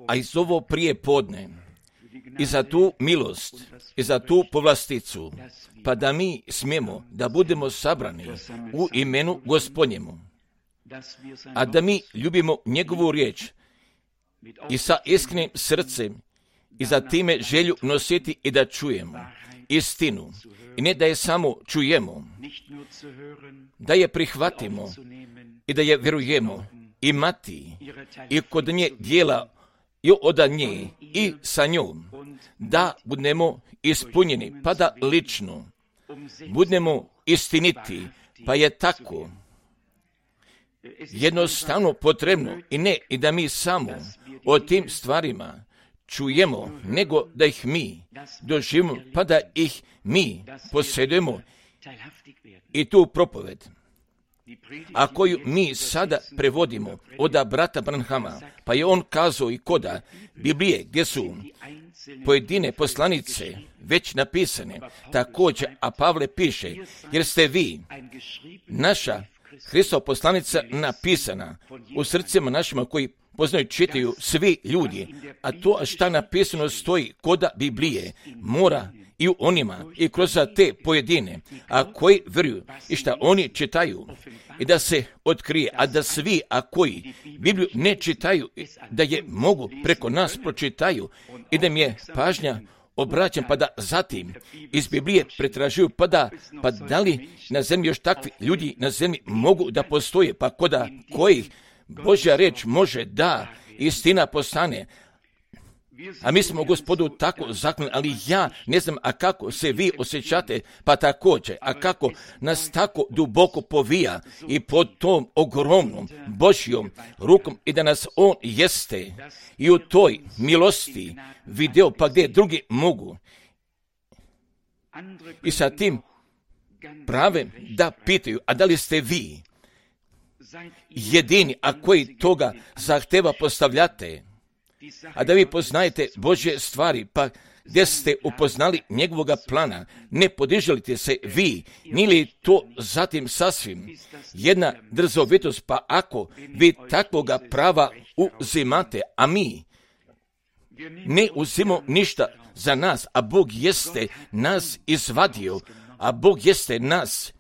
a iz ovo prije podne, i za tu milost, i za tu povlasticu, pa da mi smijemo da budemo sabrani u imenu Gospodnjemu, a da mi ljubimo njegovu riječ i sa iskrenim srcem i za time želju nositi i da čujemo istinu. I ne da je samo čujemo, da je prihvatimo i da je vjerujemo imati i kod nje dijela i od nje i sa njom, da budemo ispunjeni, pa da lično budemo istiniti, pa je tako jednostavno potrebno i ne i da mi samo o tim stvarima čujemo, nego da ih mi doživimo, pa da ih mi posjedujemo i tu propoved, a koju mi sada prevodimo od brata Branhama, pa je on kazao i koda Biblije gdje su pojedine poslanice već napisane, također, a Pavle piše, jer ste vi, naša Hristova poslanica napisana u srcima našima koji poznaju, čitaju svi ljudi, a to šta napisano stoji koda Biblije mora i u onima i kroz te pojedine, a koji vjeruju i šta oni čitaju i da se otkrije, a da svi, a koji Bibliju ne čitaju, da je mogu preko nas pročitaju i da mi je pažnja obraćam, pa da zatim iz Biblije pretražuju, pa da li na zemlji još takvi ljudi na zemlji mogu da postoje, pa koda kojih Božja reč može da istina postane. A mi smo Gospodu tako zakljeni, ali ja ne znam, a kako se vi osjećate, pa također, a kako nas tako duboko povija i pod tom ogromnom Božjom rukom i da nas on jeste i u toj milosti video, pa gdje drugi mogu. I sa tim prave da pitaju, a da li ste vi jedini, a koji toga zahteva postavljate, a da vi poznajete Božje stvari, pa gdje ste upoznali njegovoga plana, ne podiželite se vi, nili to zatim sasvim jedna drzovitost, pa ako vi takvoga prava uzimate, a mi ne uzimo ništa za nas, a Bog jeste nas izvadio, a Bog jeste nas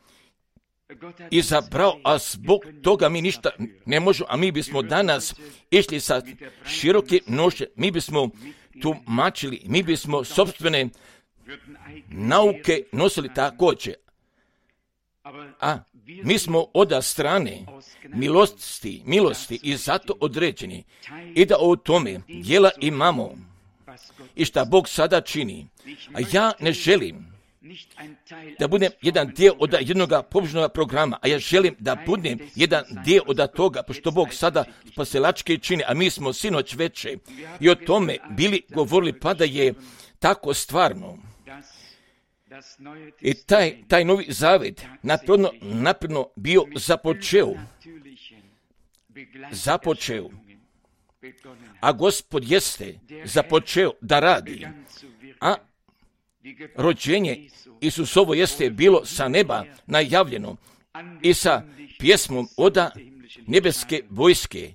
izabrao, a zbog toga mi ništa ne možemo, a mi bismo danas išli sa široke nože, mi bismo tumačili, mi bismo sopstvene nauke nosili također, a mi smo od strane milosti i zato određeni i da o tome djela imamo i šta Bog sada čini, a ja ne želim da budem jedan dio od jednog pobožnog programa, a ja želim da budem jedan dio od toga, pošto Bog sada spasilačke čini, a mi smo sinoć veče i o tome bili govorili, pa da je tako stvarno. I taj novi zavet napredno bio započeo, a Gospod jeste započeo da radi, a rođenje Isusovo jeste bilo sa neba najavljeno i sa pjesmom od nebeske vojske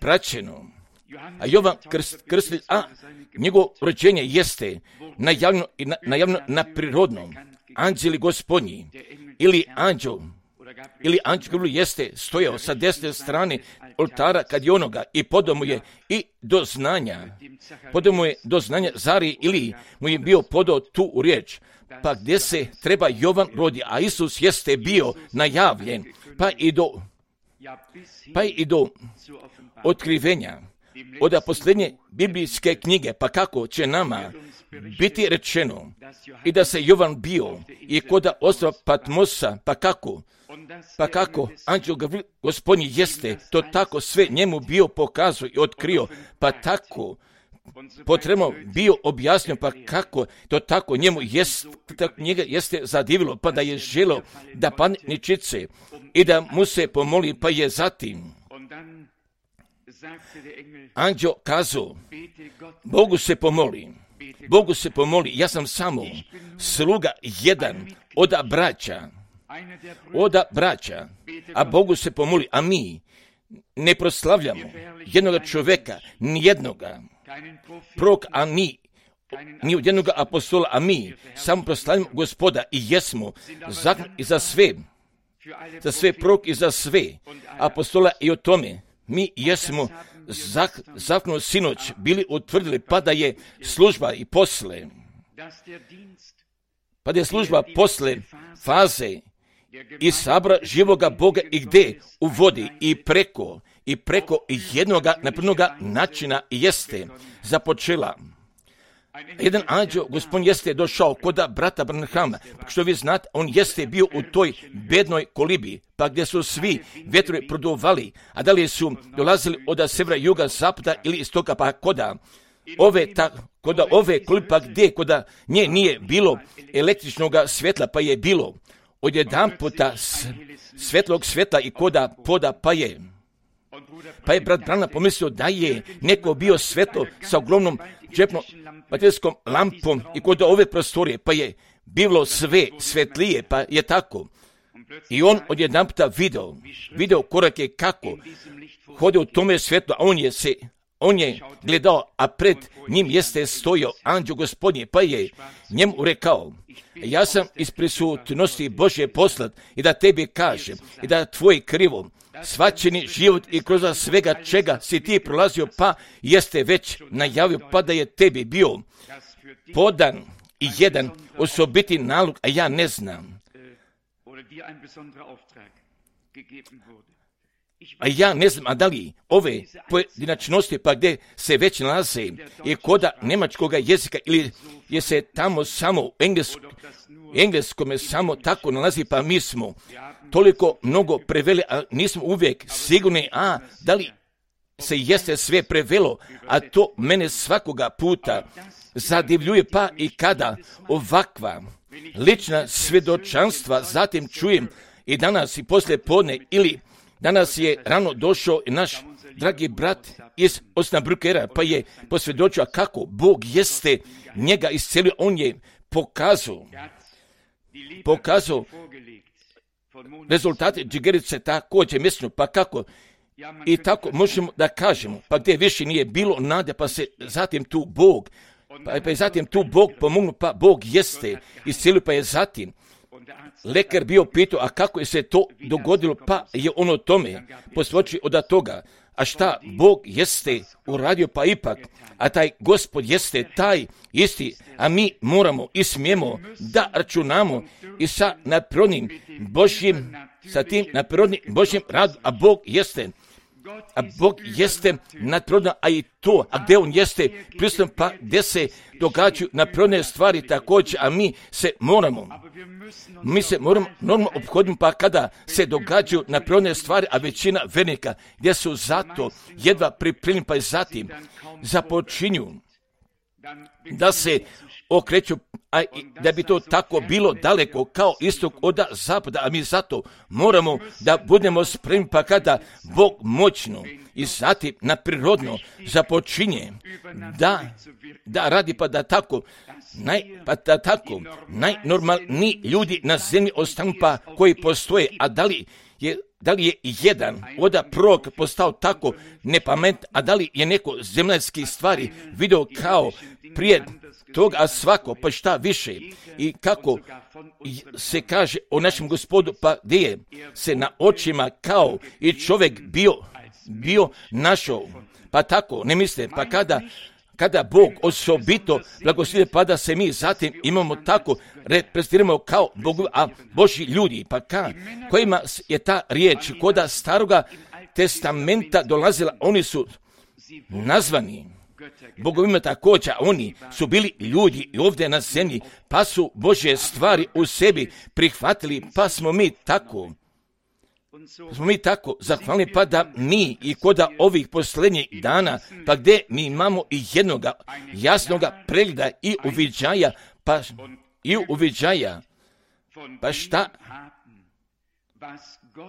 praćeno. A Jovan Krstitelj, a njegovo rođenje jeste najavljeno na prirodnom. Anđeli Gospodnji ili anđel jeste stojao sa desne strane oltara kad je onoga i podao mu je do znanja Zari ili mu je bio podao tu riječ, pa gdje se treba Jovan rodi, a Isus jeste bio najavljen, pa i do otkrivenja od posljednje biblijske knjige, pa kako će nama biti rečeno i da se Jovan bio i kod ostrva Patmosa, pa kako anđel Gospodnji jeste to tako sve njemu bio pokazao i otkrio, pa tako potrebno bio objasnio, pa kako to tako njemu njega jeste zadivilo, pa da je želo da padne ničice i da mu se pomoli, pa je zatim anđel kazao, Bogu se pomoli, ja sam samo sluga jedan od braća, a Bogu se pomoli, a mi ne proslavljamo jednoga čovjeka, nijednoga. prorok, a ni od jednog apostola, a mi samo proslavimo Gospoda i jesmo zakon za sve prorok i za sve apostola i o tome. Mi jesmo zakon sinoć bili utvrdili, pa da je služba i posle, pa da je služba posle faze i sabora živoga Boga i gde u vodi i preko jednoga napravnoga načina jeste započela. Jedan anđeo, Gospodin jeste došao kod brata Branhama, što vi znate, on jeste bio u toj bednoj kolibi, pa gdje su svi vjetrovi produvali, a da li su dolazili od severa, juga, zapada ili istoka, pa koda ove kolibe, pa gdje koda nje nije bilo električnog svjetla, pa je bilo odjedanputa svetlog svjetla i koda poda, pa je brat Branham pomislio da je neko bio svetlo sa ogromnom džepnom baterijskom lampom i kod ove prostorije, pa je bilo sve svetlije, pa je tako. I on odjedanputa video korake kako hode u tome svjetlu, a on je gledao, a pred njim jeste stojio anđeo Gospodnje, pa je njemu rekao: ja sam iz prisutnosti Božje poslat i da tebi kažem i da tvoj krivo svačeni život i kroz svega čega si ti prolazio, pa jeste već najavio, pa da je tebi bio podan i jedan osobiti nalog, a ja ne znam. A da li ove pojedinačnosti, pa gdje se već nalaze i koda nemačkog jezika ili je se tamo samo u engleskome samo tako nalazi, pa mi smo toliko mnogo preveli, a nismo uvijek sigurni, da li se jeste sve prevelo, a to mene svakoga puta zadivljuje, pa i kada ovakva lična svjedočanstva zatim čujem i danas i poslije podne, ili danas je rano došao naš dragi brat iz Osnabrückera, pa je posvjedočio kako Bog jeste njega iscelio. On je pokazao rezultate džigerice također mjesečno, pa kako i tako možemo da kažemo, pa gdje više nije bilo nade, pa se zatim tu Bog pomognu, pa Bog jeste iscelio, pa je zatim lekar bio pitao, a kako je se to dogodilo, pa je on o tome posvjedočio od toga. A šta Bog jeste uradio, pa ipak, a taj Gospod jeste taj isti, a mi moramo i smijemo da računamo i sa tim nadprirodnim Božjim radu, a Bog jeste nadprirodno, a i to, a gdje on jeste prisutan, pa gdje se događaju nadprirodne stvari također, a mi se moramo normalno ophoditi, pa kada se događaju nadprirodne stvari, a većina vernika gdje su zato jedva pripremljeni, pa i zatim započinju da se okreću, a da bi to tako bilo daleko kao istok od zapada, a mi zato moramo da budemo spremni, pa kada Bog moćno i zatim nadprirodno započinje da radi, pa da tako najnormalniji ljudi na zemlji ostanu, pa koji postoje, a da li je jedan od prorok postao tako nepamet, a da li je neko zemaljskih stvari video kao prije toga, a svako, pa šta više, i kako se kaže o našem Gospodu, pa gdje je se na očima kao i čovjek bio našao, pa tako, ne mislite, pa kada Bog osobito blagoslivlja, pa da se mi zatim imamo tako, reprezentiramo kao Božji ljudi, pa kojima je ta riječ koda staroga testamenta dolazila, oni su nazvani bogovima također, oni su bili ljudi i ovdje na zemlji, pa su Božje stvari u sebi prihvatili, pa smo mi tako zahvalni, pa da mi i koda ovih posljednjih dana, pa gdje mi imamo i jednoga jasnoga pregleda i uviđaja, pa šta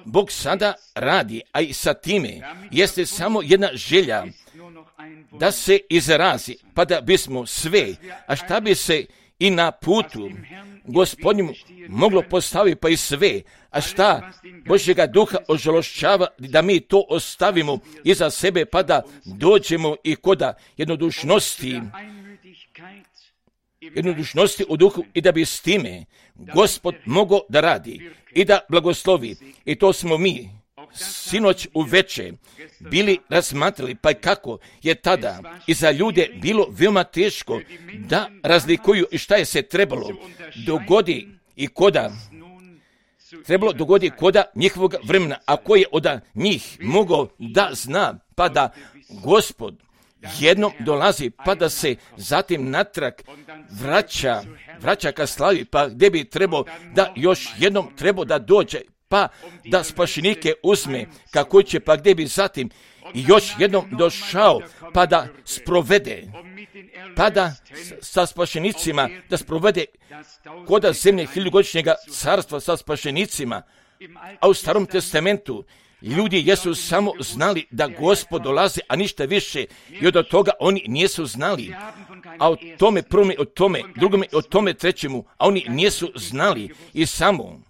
Bog sada radi, a i sa time jeste samo jedna želja da se izrazi, pa da bismo sve, a šta bi se i na putu Gospodnjemu moglo postaviti pa i sve, a šta Božjega duha ožalošćava da mi to ostavimo iza sebe pa da dođemo i koda jednodušnosti u duhu i da bi s time Gospod mogao da radi i da blagoslovi. I to smo mi sinoć uveče bili razmatrali, pa kako je tada i za ljude bilo veoma teško da razlikuju i šta je se trebalo dogodi i koda njihovog vremena, a ko je od njih mogao da zna, pa da Gospod jednom dolazi, pa da se zatim natrag vraća ka slavi, pa gdje bi trebao da još jednom trebao da dođe, pa da spašenike uzme kako će, pa gdje bi zatim još jednom došao, pa da sprovede, pa da sa spašenicima, da sprovede koda zemlje hiljugodišnjega carstva sa spašenicima. A u Starom testamentu ljudi jesu samo znali da Gospod dolazi, a ništa više, i od toga oni nisu znali. A o tome prvome, o tome drugome, o tome trećemu, a oni nisu znali. I samo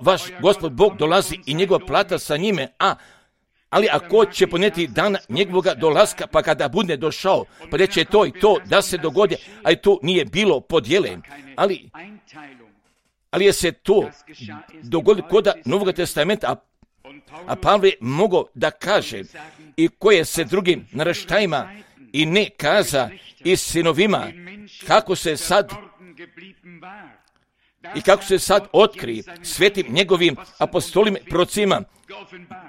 vaš Gospod Bog dolazi i njegova plata sa njime, ali ako će poneti dan njegovoga dolaska, pa kada bude došao, pa reće to i to da se dogodi, a i to nije bilo podjele, ali je se to dogodilo kod Novog testamenta, a Pavle mogao da kaže i koje se drugim naraštajima i ne kaza i sinovima, kako se sad otkri svetim njegovim apostolima, prorocima,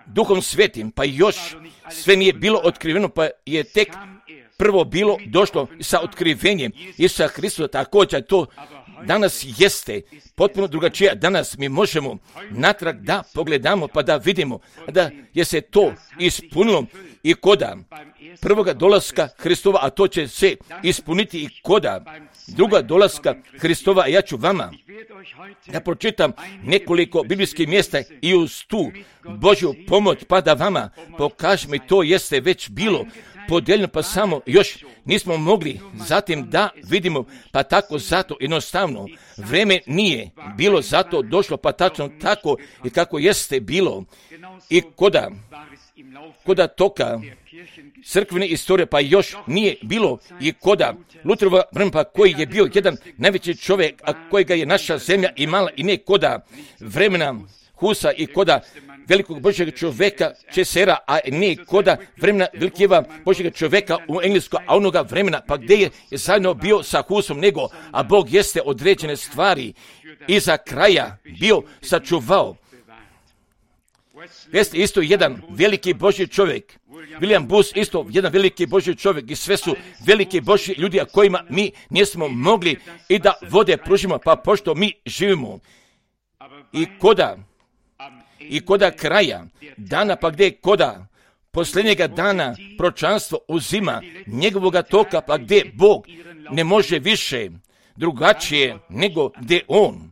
Duhom svetim, pa još sve nije bilo otkriveno, pa je tek prvo bilo došlo sa otkrivenjem Isusa Hristusa. Također to danas jeste potpuno drugačije. Danas mi možemo natrag da pogledamo pa da vidimo da je se to ispunilo i koda prvoga dolaska Hristova, a to će se ispuniti i koda druga dolaska Hristova. Ja ću vama da pročitam nekoliko biblijskih mjesta i uz tu Božju pomoć pa da vama pokažem, i to jeste već bilo podijeljeno, pa samo još nismo mogli zatim da vidimo, pa tako zato jednostavno vreme nije bilo zato došlo, pa tačno tako i kako jeste bilo i koda toka crkvene istorije, pa još nije bilo i koda Luterova vremena, pa koji je bio jedan najveći čovjek, a kojega je naša zemlja imala, i ne koda vremena Husa i koda velikog Božjeg čovjeka Česera, a ne koda vremena velikega Božjega čovjeka u Engleskoj, a onoga vremena pa gdje je zajedno bio sa Husom, nego, a Bog jeste određene stvari iza kraja bio sačuvao. Jeste isto jedan veliki Božji čovjek, William Booth isto jedan veliki Božji čovjek, i sve su veliki Božji ljudi, a kojima mi nismo mogli i da vode pružimo, pa pošto mi živimo i koda kraja dana, pa gdje koda posljednjega dana proročanstvo uzima njegovoga toka, pa gdje Bog ne može više drugačije nego gdje on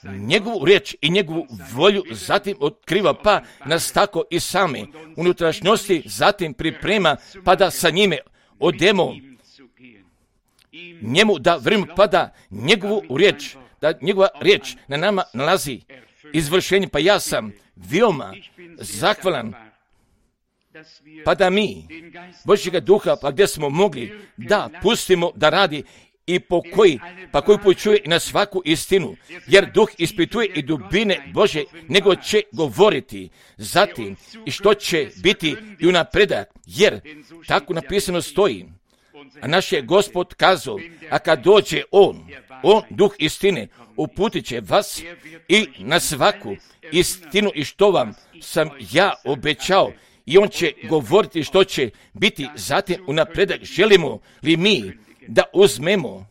njegovu riječ i njegovu volju zatim otkriva, pa nas tako i same unutrašnjosti zatim priprema, pa da sa njime odemo njemu da vremenu, pa da njegovu riječ, da njegova riječ na nama nalazi izvršenje. Pa ja sam veoma zahvalan, pa da mi Božjega duha, pa gdje smo mogli da pustimo da radi i koji počuje na svaku istinu, jer duh ispituje i dubine Bože, nego će govoriti zatim i što će biti i u napredak, jer tako napisano stoji. A naš je Gospod kazao, a kad dođe on duh istine, uputit će vas i na svaku istinu i što vam sam ja obećao, i on će govoriti što će biti zatim u napredak. Želimo li mi da uzmemo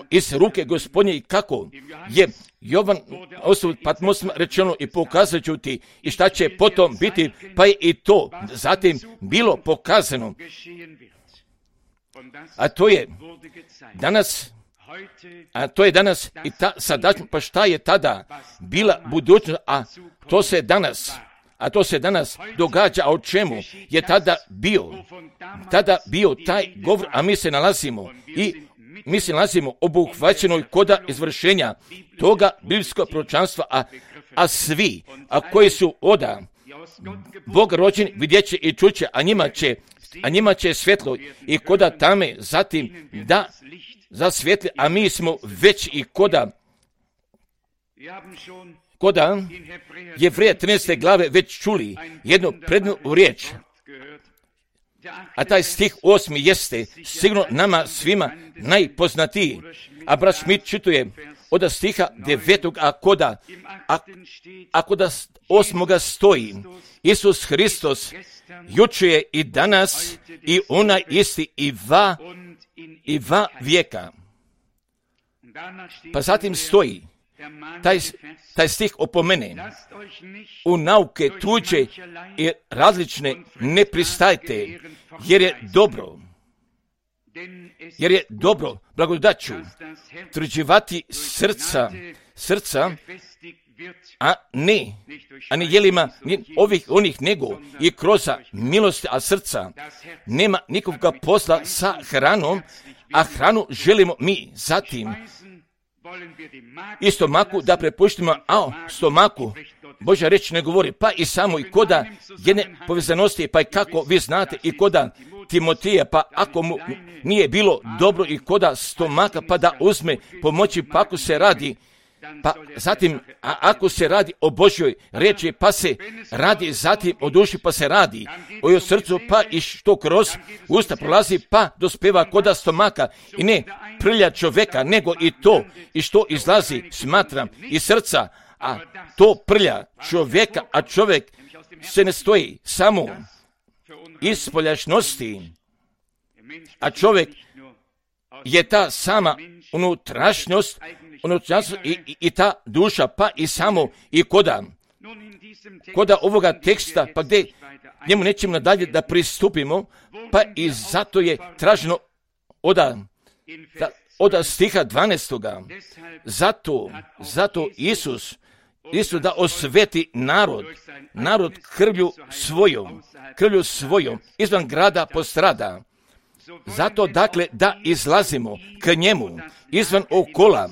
iz ruke Gospodnje, i kako je Jovan osob Patmosima rečeno i pokazat ću ti i šta će potom biti, pa je i to zatim bilo pokazano. A to je danas i ta sadašnjost, pa šta je tada bila budućnost, a to se danas, a to se danas događa, a o čemu je tada bio taj govor, a mi se nalazimo obuhvaćenoj koda izvršenja toga biblijskog proročanstva, a koji su oda Bog rođeni vidjet će i čuće, a njima će svjetlo i koda tame zatim da zasvjetli, a mi smo već i koda Jevreja 13. glave već čuli jednu prednu riječ, a taj stih 8. jeste sigurno nama svima najpoznatiji, a brat Schmidt čituje od stiha 9. a koda 8. stoji: Isus Hristos juče je i danas i onaj isti i va vijeka. Pa zatim stoji, taj stih opomene: u nauke tuđe i različne ne pristajte, jer je dobro blagodaću tvrđivati srca, a ne jelima onih nego i kroz milosti, a srca nema nikakvog posla sa hranom, a hranu želimo mi zatim i stomaku da prepuštimo, a stomaku Božja reč ne govori, pa i samo i koda jedne povezanosti, pa i kako vi znate i koda Timotija, pa ako mu nije bilo dobro i koda stomaka, pa da uzme pomoći, pa ako se radi, pa zatim, a ako se radi o Božjoj reči, pa se radi zatim o duši, pa se radi o srcu, pa i što kroz usta prolazi, pa dospeva koda stomaka i ne prlja čoveka, nego i to i što izlazi, smatram, iz srca, a to prlja čovjeka, a čovjek se ne stoji samo iz spoljašnosti, a čovjek je ta sama unutrašnjost i ta duša, pa i samo i koda ovoga teksta, pa gdje njemu nećemo nadalje da pristupimo, pa i zato je traženo od stiha 12. Zato Isus da osveti narod krvlju svojom izvan grada postrada. Zato dakle da izlazimo k njemu izvan okola,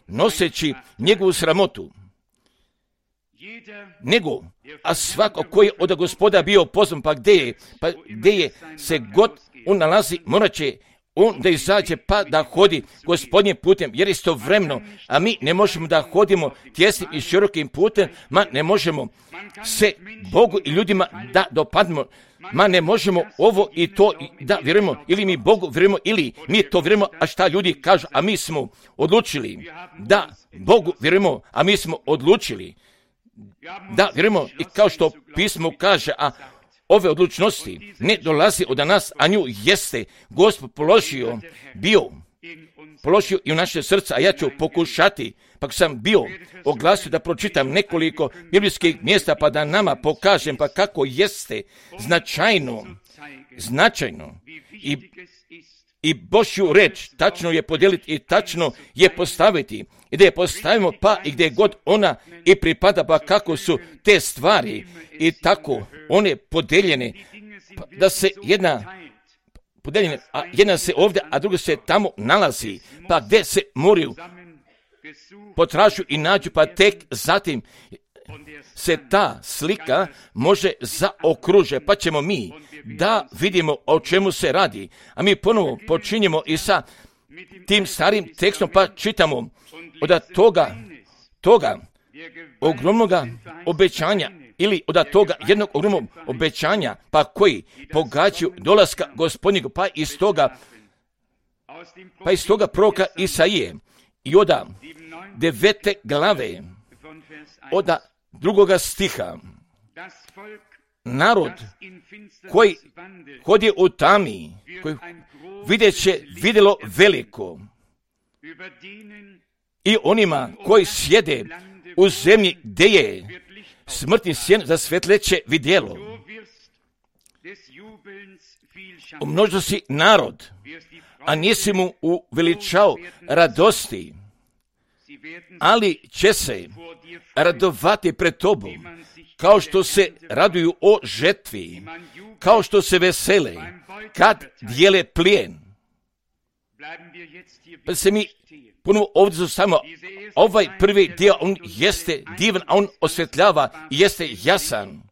noseći njegovu sramotu. A svako koji je od Gospoda bio pozvan, pa gdje je se god on nalazi, morat će on da izađe, pa da hodi Gospodnjim putem, jer istovremeno, a mi ne možemo da hodimo tjesnim i širokim putem, ne možemo se Bogu i ljudima da dopadnemo, ne možemo ovo i to da vjerujemo, ili mi Bogu vjerujemo, ili mi to vjerujemo, a šta ljudi kažu, a mi smo odlučili da Bogu vjerujemo, a mi smo odlučili da vjerujemo, i kao što pismo kaže, a ove odlučnosti ne dolazi od nas, a nju jeste Gospod položio i u naše srca, a ja ću pokušati, pa sam bio oglasio da pročitam nekoliko biblijskih mjesta, pa da nama pokažem pa kako jeste značajno i Božju reč tačno je podijeliti i tačno je postaviti, i da je postavimo pa i gdje god ona i pripada, pa kako su te stvari i tako one podeljene, pa da se jedna se ovdje, a druga se tamo nalazi, pa gdje se moraju potražu i nađu, pa tek zatim se ta slika može zaokruže, pa ćemo mi da vidimo o čemu se radi. A mi ponovo počinjemo i sa tim starim tekstom, pa čitamo od toga ogromnoga obećanja, ili od toga jednog ogromnog obećanja, pa koji pogađaju dolaska Gospodnjeg, pa iz toga proroka Isaije i od 9. glave, od 2. stiha. Narod koji hodi u tami, koji vidjelo veliko, i onima koji sjede u zemlji gdje je smrtni sjen za svetleće vidjelo. Umnožio si narod, a nisi mu uveličao radosti, ali će se radovati pred tobom, kao što se raduju o žetvi, kao što se vesele kad dijele plijen. Pa se mi ponovo ovdje zostavimo. Ovaj prvi dio, on jeste divan, a on osvetljava i jeste jasan.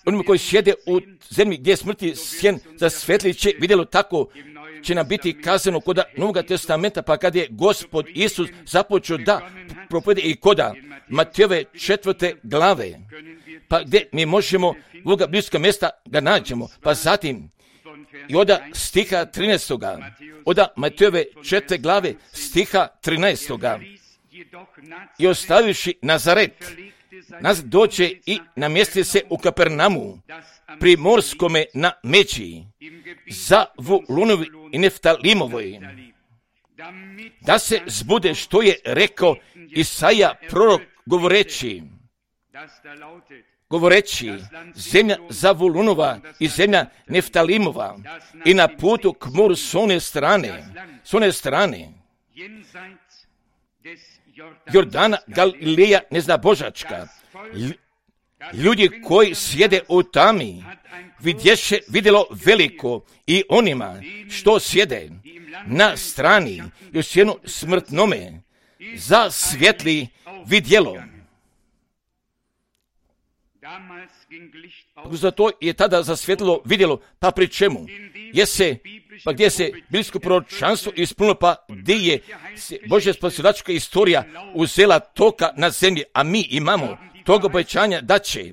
Onima koji sjede u zemlji gdje je smrti sjen za svetli će vidjelo tako će nam biti kazano kod Novoga testamenta, pa kad je Gospod Isus započeo da propovede i koda Matejove 4. glave, pa gdje mi možemo ovoga bliska mjesta ga nađemo, pa zatim i od stiha 13. od Matejove 4. glave stiha 13. I ostavivši Nazaret, nas doće i namjesti se u Kapernamu, pri morskome na Međi, za Vulunovi i Neftalimovoj, da se zbude što je rekao Isaija prorok govoreći, zemlja Zavulunova i zemlja Neftalimova i na putu k moru s one strane, Jordana, Galileja neznabožačka, ljudi koji sjede u tami, vidjelo veliko i onima što sjede na strani i u sjenu smrtnome, za svjetli vidjelo. Zato je tada zasvjetlilo vidjelo, pa pri čemu? Pa gdje se biblijsko proročanstvo ispunilo, pa gdje je Božja spasilačka istorija uzela toka na zemlji, a mi imamo toga obećanja da će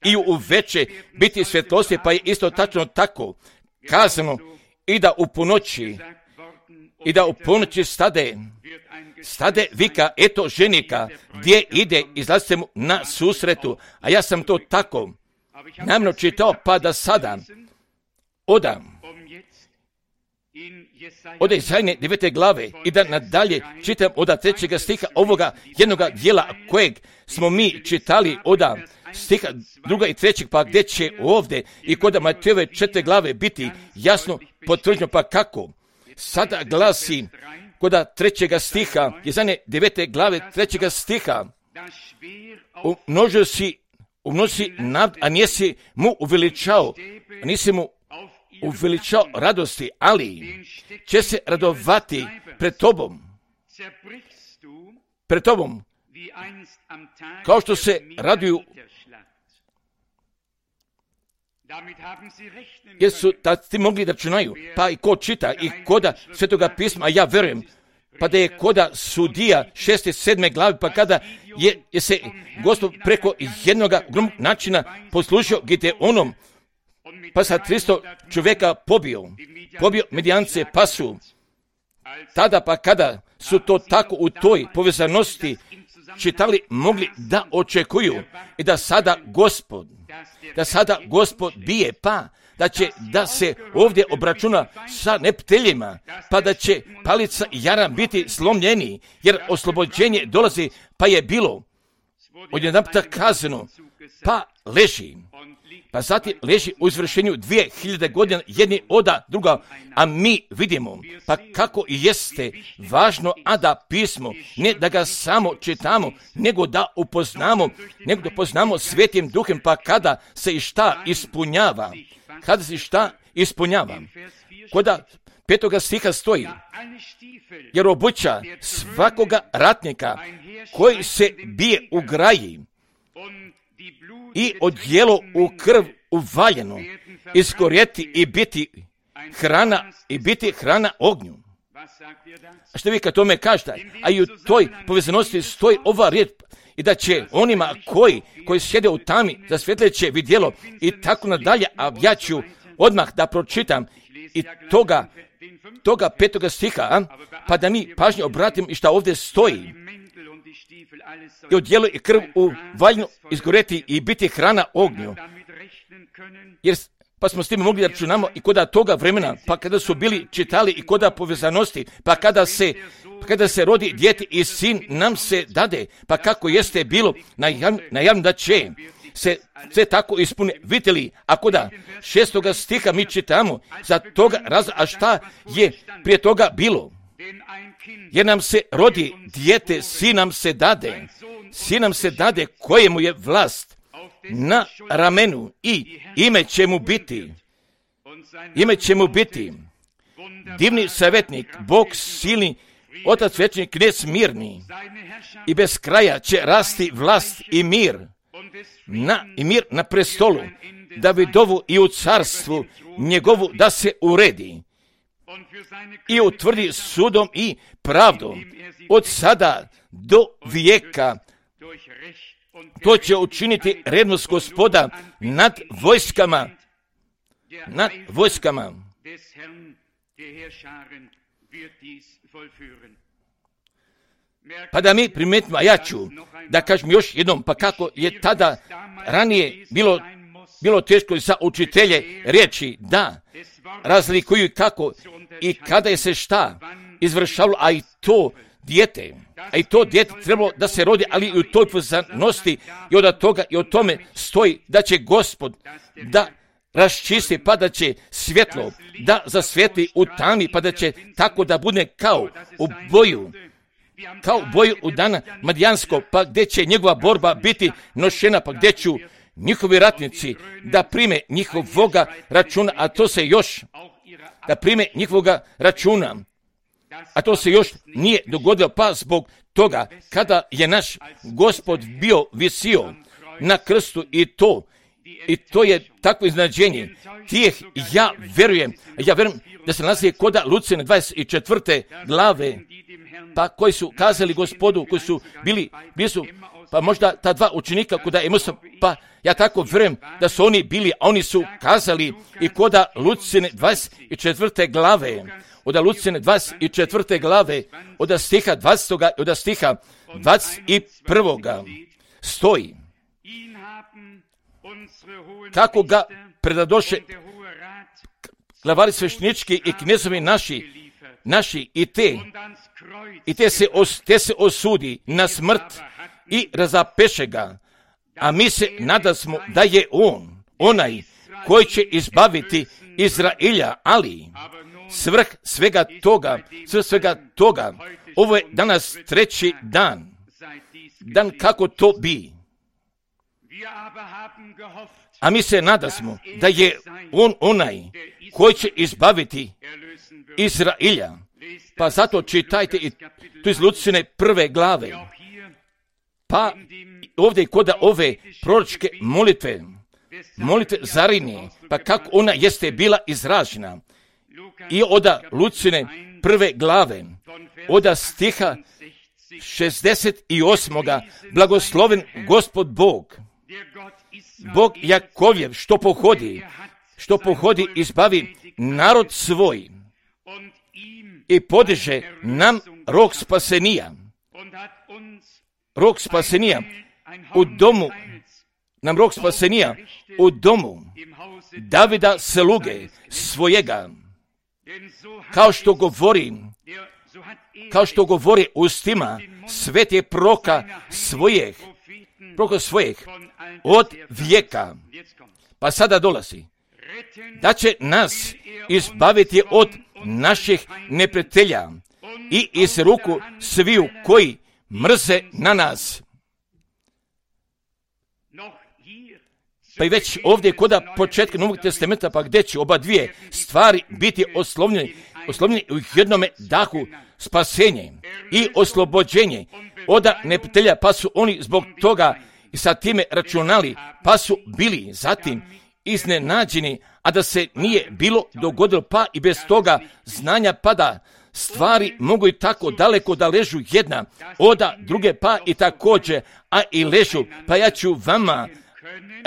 i u veće biti svjetlosti, pa je isto tačno tako kazano i da u ponoći stade vika, eto ženika, gdje ide, izlazite mu na susretu, a ja sam to tako namjerno čitao, pa da sada od Isajine 9. glave i da nadalje čitam od 3. stiha ovoga jednoga dijela kojeg smo mi čitali od stiha 2. i 3. pa gdje će ovdje i kod Matejove 4. glave biti jasno potvrđeno, pa kako sada glasi kod 3. stiha, Isajine 9. glave 3. stiha, umnoži nad, a nisi mu uveličao radosti, ali će se radovati pred tobom, kao što se raduju, jer su ti mogli da računaju, pa i ko čita i koda Svetoga pisma, a ja verujem, pa da je koda Sudija 6. i 7. glavi, pa kada je se Gospod preko jednoga načina poslužio Gideonom, pa sa 300 čovjeka pobio Midijance, pa su tada, pa kada su to tako u toj povezanosti čitali, mogli da očekuju i da sada Gospod bije, pa da se ovdje obračuna sa nepteljima, pa da će palica i jaram biti slomljeni, jer oslobođenje dolazi, pa je bilo odjedanputa kazano, pa leži. Pa zatim leži u izvršenju 2000 godina jedni od druga, a mi vidimo, pa kako jeste važno, a da pismo, ne da ga samo čitamo, nego da upoznamo Svetim Duhem, pa kada se i šta ispunjava, Koda 5. stiha stoji, jer obuća svakoga ratnika koji se bije u graji i odjelo u krv uvaljeno, iskorjeti i biti hrana ognju. A što vi kad tome kažete? A i u toj povezanosti stoji ova riječ, i da će onima koji sjede u tami za svjetleće vidjelo i tako nadalje, a ja ću odmah da pročitam i toga 5. stiha, pa da mi pažnje obratim i šta ovdje stoji. I odjelo i krv u valjnu izgoreti i biti hrana ognju. Jer pa smo s tim mogli računamo i koda toga vremena, pa kada su bili čitali i koda povezanosti, pa kada se rodi dijete i sin nam se dade, pa kako jeste bilo najavno da će se sve tako ispuni. Vidite li, ako da 6. stiha mi čitamo za toga razloga, a šta je prije toga bilo? jer nam se rodi dijete, sin nam se dade kojemu je vlast na ramenu i ime će mu biti divni savjetnik, Bog silni, Otac večni, knez mirni, i bez kraja će rasti vlast i mir na prestolu Davidovu i u carstvu njegovu da se uredi i utvrdi sudom i pravdom od sada do vijeka. To će učiniti revnost Gospoda nad vojskama. Pa da mi primetimo, a ja ću da kažem još jednom, pa kako je tada ranije bilo teško za učitelje reći da razlikuju kako i kada je se šta izvršavalo, a i to dijete trebalo da se rodi, ali i u toj poznanosti i od toga i o tome stoji da će Gospod da raščisti, pa da će svjetlo da zasvijetli u tami, pa da će tako da bude kao u boju u dana Madijansko, pa gdje će njegova borba biti nošena, pa gdje ću njihovi ratnici da prime njihovoga računa, a to se još nije dogodilo, pa zbog toga kada je naš Gospod bio visio na krstu i to je takvo iznenađenje. Ja vjerujem da se nalazi kod Lucijane 24. glave, pa koji su kazali Gospodu, koji su bili pa možda ta dva učenika kod Emusa, pa ja tako vjerujem da su oni bili, a oni su kazali i kod Lucijane 24. glave, od Lucijane 24. glave, od stiha 20. i od stiha 21. stoji kako ga predadoše glavari sveštenički i knezovi naši i te se osudi na smrt i razapeše ga, a mi se nadasmo da je on onaj koji će izbaviti Izraelja, ali svrh svega toga, ovo je danas treći dan kako to bi. A mi se nadasmo da je on onaj koji će izbaviti Izraelja. Pa zato čitajte i tu iz Lucijane 1. glave. Pa ovdje kod ove proročke molitve Zarinije, pa kako ona jeste bila izražena. I od Lucijane 1. glave, od stiha 68. blagosloven Gospod Bog Jakovljev, što pohodi izbavi narod svoj i podiže nam rog spasenija u domu Davida sluge svojega, kao što govori ustima svete proka svojeg od vijeka. Pa sada dolazi da će nas izbaviti od naših neprijatelja i iz ruku sviju koji mrze na nas. Pa i već ovdje kod početka Novog testamenta, pa gdje će oba dvije stvari biti oslovljeni u jednome dahu, spasenje i oslobođenje od neprijatelja, pa su oni zbog toga i sa time računali, pa su bili zatim iznenađeni, a da se nije bilo dogodilo, pa i bez toga znanja, pa da stvari mogu i tako daleko da ležu jedna od druge, pa i također, a i ležu. Pa ja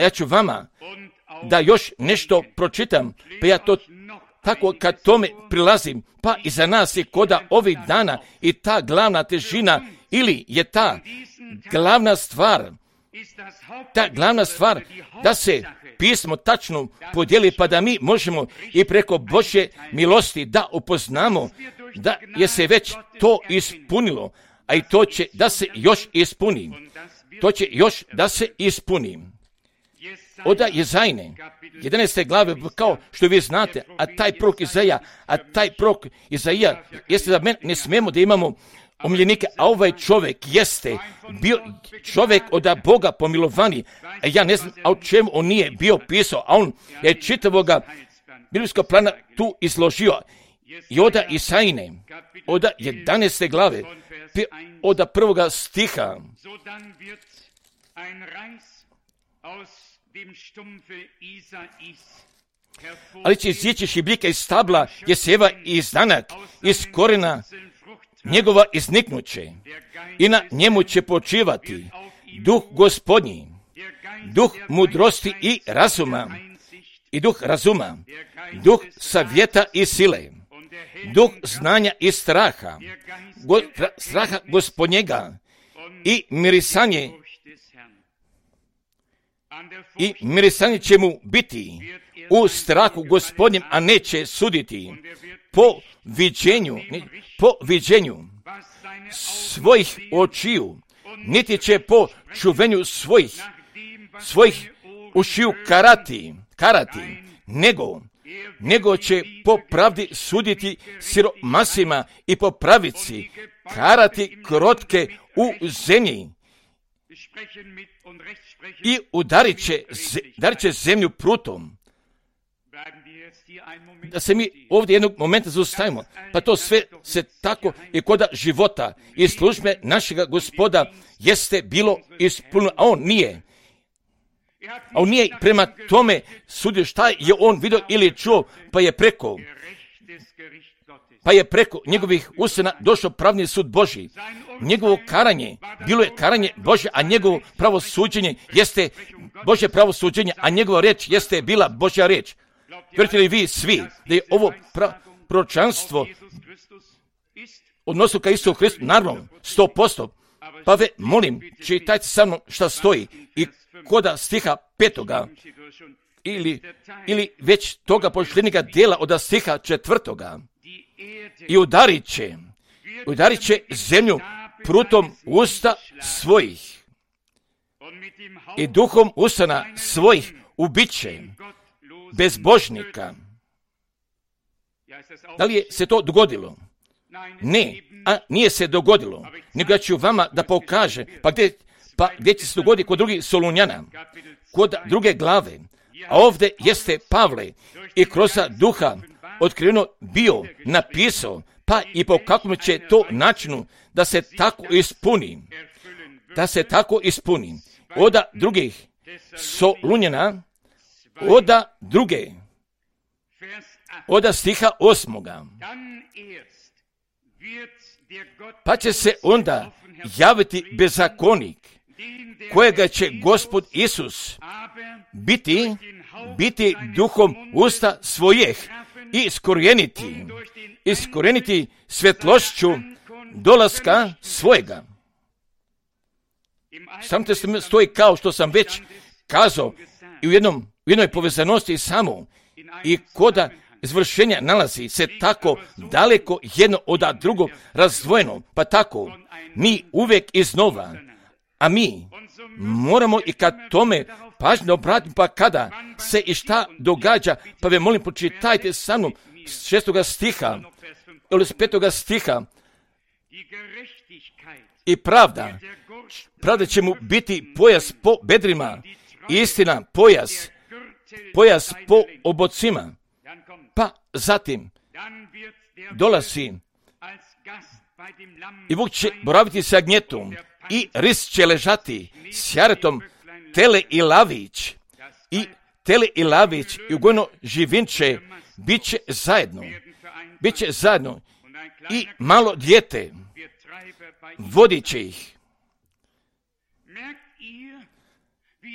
ću vama da još nešto pročitam, pa ja to tako kad tome prilazim, pa i za nas je koda ovih dana i ta glavna težina, ili je ta glavna stvar da se pismo tačno podijeli, pa da mi možemo i preko Božje milosti da upoznamo da je se već to ispunilo, a i to će da se još ispuni. Oda Jezajne, 11. glave, kao što vi znate, a taj prorok Izaija, jeste da ne smijemo da imamo omiljenike, a ovaj čovjek jeste bio čovjek od Boga pomilovani, a ja ne znam o čemu on nije bio pisao, a on je čitavoga biblijskog plana tu izložio. I oda Isajne, oda 11. glave, od 1. stiha. Ali će izići šibljika iz stabla Jeseva i izdanak iz korena njegova izniknuće i na njemu će počivati duh Gospodnji, duh mudrosti i razuma, duh savjeta i sile, duh znanja i straha, straha Gospodnjega i mirisanje će mu biti u strahu Gospodnjem, a neće suditi po viđenju svojih očiju, niti će po čuvenju svojih ušiju karati, nego će po pravdi suditi siromasima i po pravici karati krotke u zemlji i udarit će zemlju prutom. Da se mi ovdje jednog momenta zaustavimo, pa to sve se tako i kod života i službe našega Gospoda jeste bilo ispunjeno, a on nije prema tome sudio šta je on vidio ili čuo, pa je preko njegovih usana došao pravni sud Božji. Njegovo karanje bilo je karanje Božje, a njegovo pravosuđenje jeste Božje pravosuđenje, a njegova reč jeste bila Božja reč. Vjerujete li vi svi da je ovo proročanstvo odnosno ka Isusu Hristu? Naravno, 100%. Pa molim, čitajte sa mnom šta stoji i koda stiha 5. ili već toga pošljednjega dijela od stiha 4. I udarit će zemlju prutom usta svojih i duhom usana svojih ubiće bezbožnika. Da li je se to dogodilo? Ne, nije se dogodilo, nego ja ću vama da pokaže, pa gdje će se dogoditi kod drugih Solunjana, kod 2. glave, a ovdje jeste Pavle i kroz duha otkriveno bio napisao, pa i po kakvom će to načinu da se tako ispuni, oda drugih Solunjana, oda stiha 8. Pa će se onda javiti bezakonik, kojega će Gospod Isus biti duhom usta svojih i iskorijeniti svjetlošću dolaska svojega. Sam te stoji kao što sam već kazao i u jednoj povezanosti samo i koda izvršenja nalazi se tako daleko jedno od drugog razdvojeno, pa tako mi uvijek iznova, a mi moramo i kad tome pažnju obratiti, pa kada se i šta događa, pa ve molim pročitajte sa mnom 6. stiha ili 5. stiha. I pravda će mu biti pojas po bedrima, istina pojas po obocima. Pa zatim dolazi i vuk će boraviti sa gnjetom i ris će ležati s jaretom tele i lavić i ugojno živinče bit će zajedno i malo dijete vodit će ih.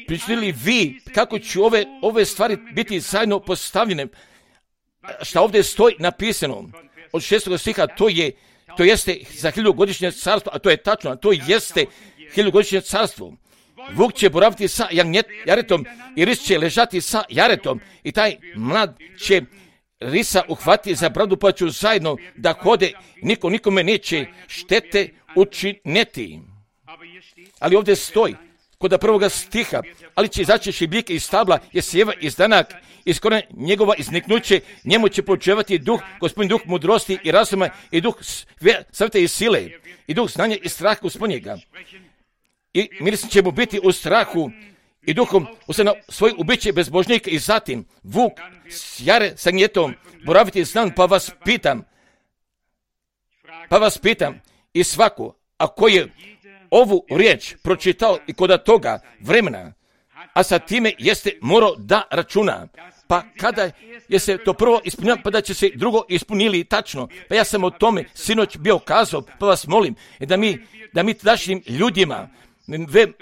Pričali li vi kako će ove stvari biti zajedno postavljene? Šta ovdje stoji napisano od 6. stiha, to jeste za 1000-godišnje carstvo, a to je tačno, a to jeste 1000-godišnje carstvo. Vuk će boraviti sa jaretom i ris će ležati sa jaretom i taj mlad će risa uhvatiti za bradu, pa ću zajedno da hode, nikome neće štete učiniti. Ali ovdje stoji, kod prvoga stiha, ali će izaći šibljik iz stabla, jer sjeva izdanak, iz korijena njegova izniknuće, njemu će počevati duh, Gospodin duh mudrosti i razuma i duh savjeta i sile, i duh znanja i straha Gospodnjega. I miris će mu biti u strahu i duhom usana svoj ubiće bezbožnika i zatim vuk s jare sa gnjetom boraviti znan, pa vas pitam i svako, ako je ovu riječ pročitao i kod toga vremena, a sa time jeste morao da računa, pa kada je se to prvo ispunilo, pa da će se drugo ispunili tačno. Pa ja sam o tome sinoć bio kazao, pa vas molim da mi tadašnjim ljudima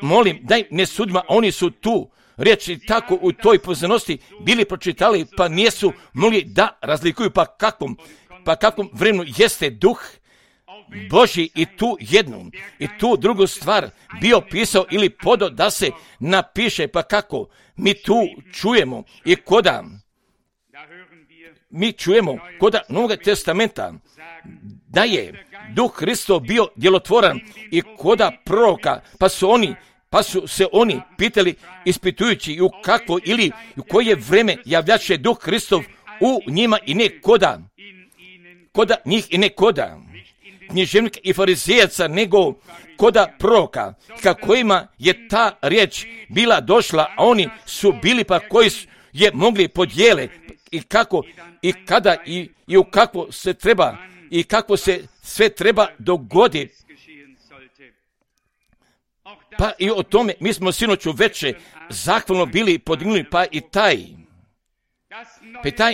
molim, daj ne sudima, oni su tu riječi tako u toj poznanosti bili pročitali, pa nisu mogli da razlikuju, pa kakvom vremenu jeste duh Božji i tu jednu i tu drugu stvar bio pisao ili podao da se napiše, pa kako mi tu čujemo i koda mi čujemo koda Novog testamenta da je Duh Hristov bio djelotvoran i koda proroka, pa su se oni pitali ispitujući i u kakvo ili u koje vreme javljaše Duh Hristov u njima i ne koda njih i ne koda književnika i farizejaca, nego koda proroka, kojima je ta riječ bila došla, a oni su bili pa koji je mogli podijele i kako i kada i u kakvo se treba i kako se sve treba dogoditi. Pa i o tome mi smo sinoć uveče zahvalno bili podignuli, pa i taj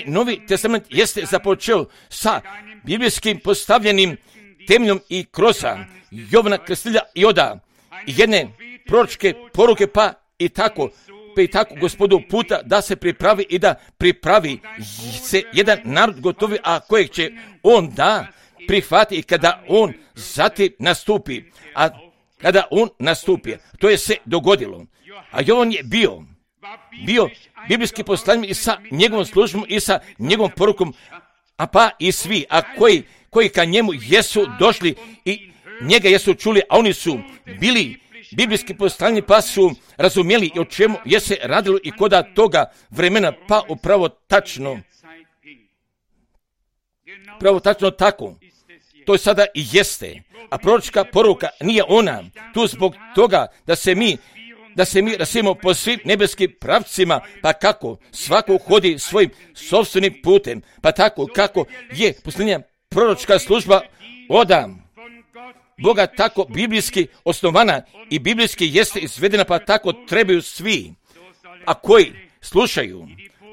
Novi testament jeste započeo sa biblijskim postavljenim temeljom i kroz Jovana Krstitelja i oda jedne proročke poruke, pa i tako Gospodu puta da se pripravi i da pripravi se jedan narod gotovi, a kojeg će on da prihvati i kada on zatim nastupi. A kada on nastupi, to je se dogodilo. A Jovan je bio biblijski poslanik i sa njegovom službom i sa njegovom porukom, a pa i svi, a koji ka njemu jesu došli i njega jesu čuli, a oni su bili biblijski poslanici, pa su razumjeli o čemu je se radilo i koda toga vremena, pa upravo tačno tako. To sada i jeste. A proročka poruka nije ona tu zbog toga da se mi rasimo po svim nebeskim pravcima, pa kako svako hodi svojim sopstvenim putem, pa tako kako je posljednja proročka služba od Boga tako biblijski osnovana i biblijski jeste izvedena, pa tako trebaju svi, a koji slušaju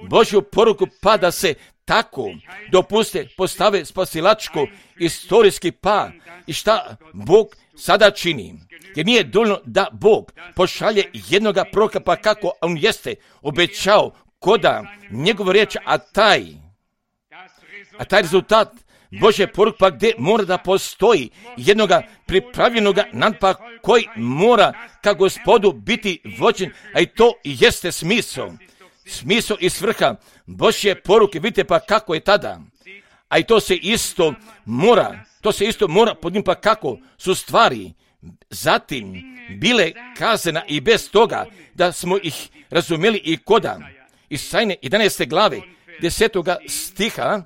Božju poruku, pa da se tako dopuste postave spasilačko istorijski pa i šta Bog sada čini. Jer nije dovoljno da Bog pošalje jednoga proroka, pa kako on jeste obećao koda njegova riječ, a taj rezultat Božje poruke, pa gdje mora da postoji jednoga pripravljenoga nadpa koji mora ka Gospodu biti vođen, a i to jeste smisao i svrha Božje poruke. Vidite pa kako je tada, a i to se isto mora pod pa kako su stvari zatim bile kazana i bez toga da smo ih razumjeli i koda Isajne 11. glave 10. stiha,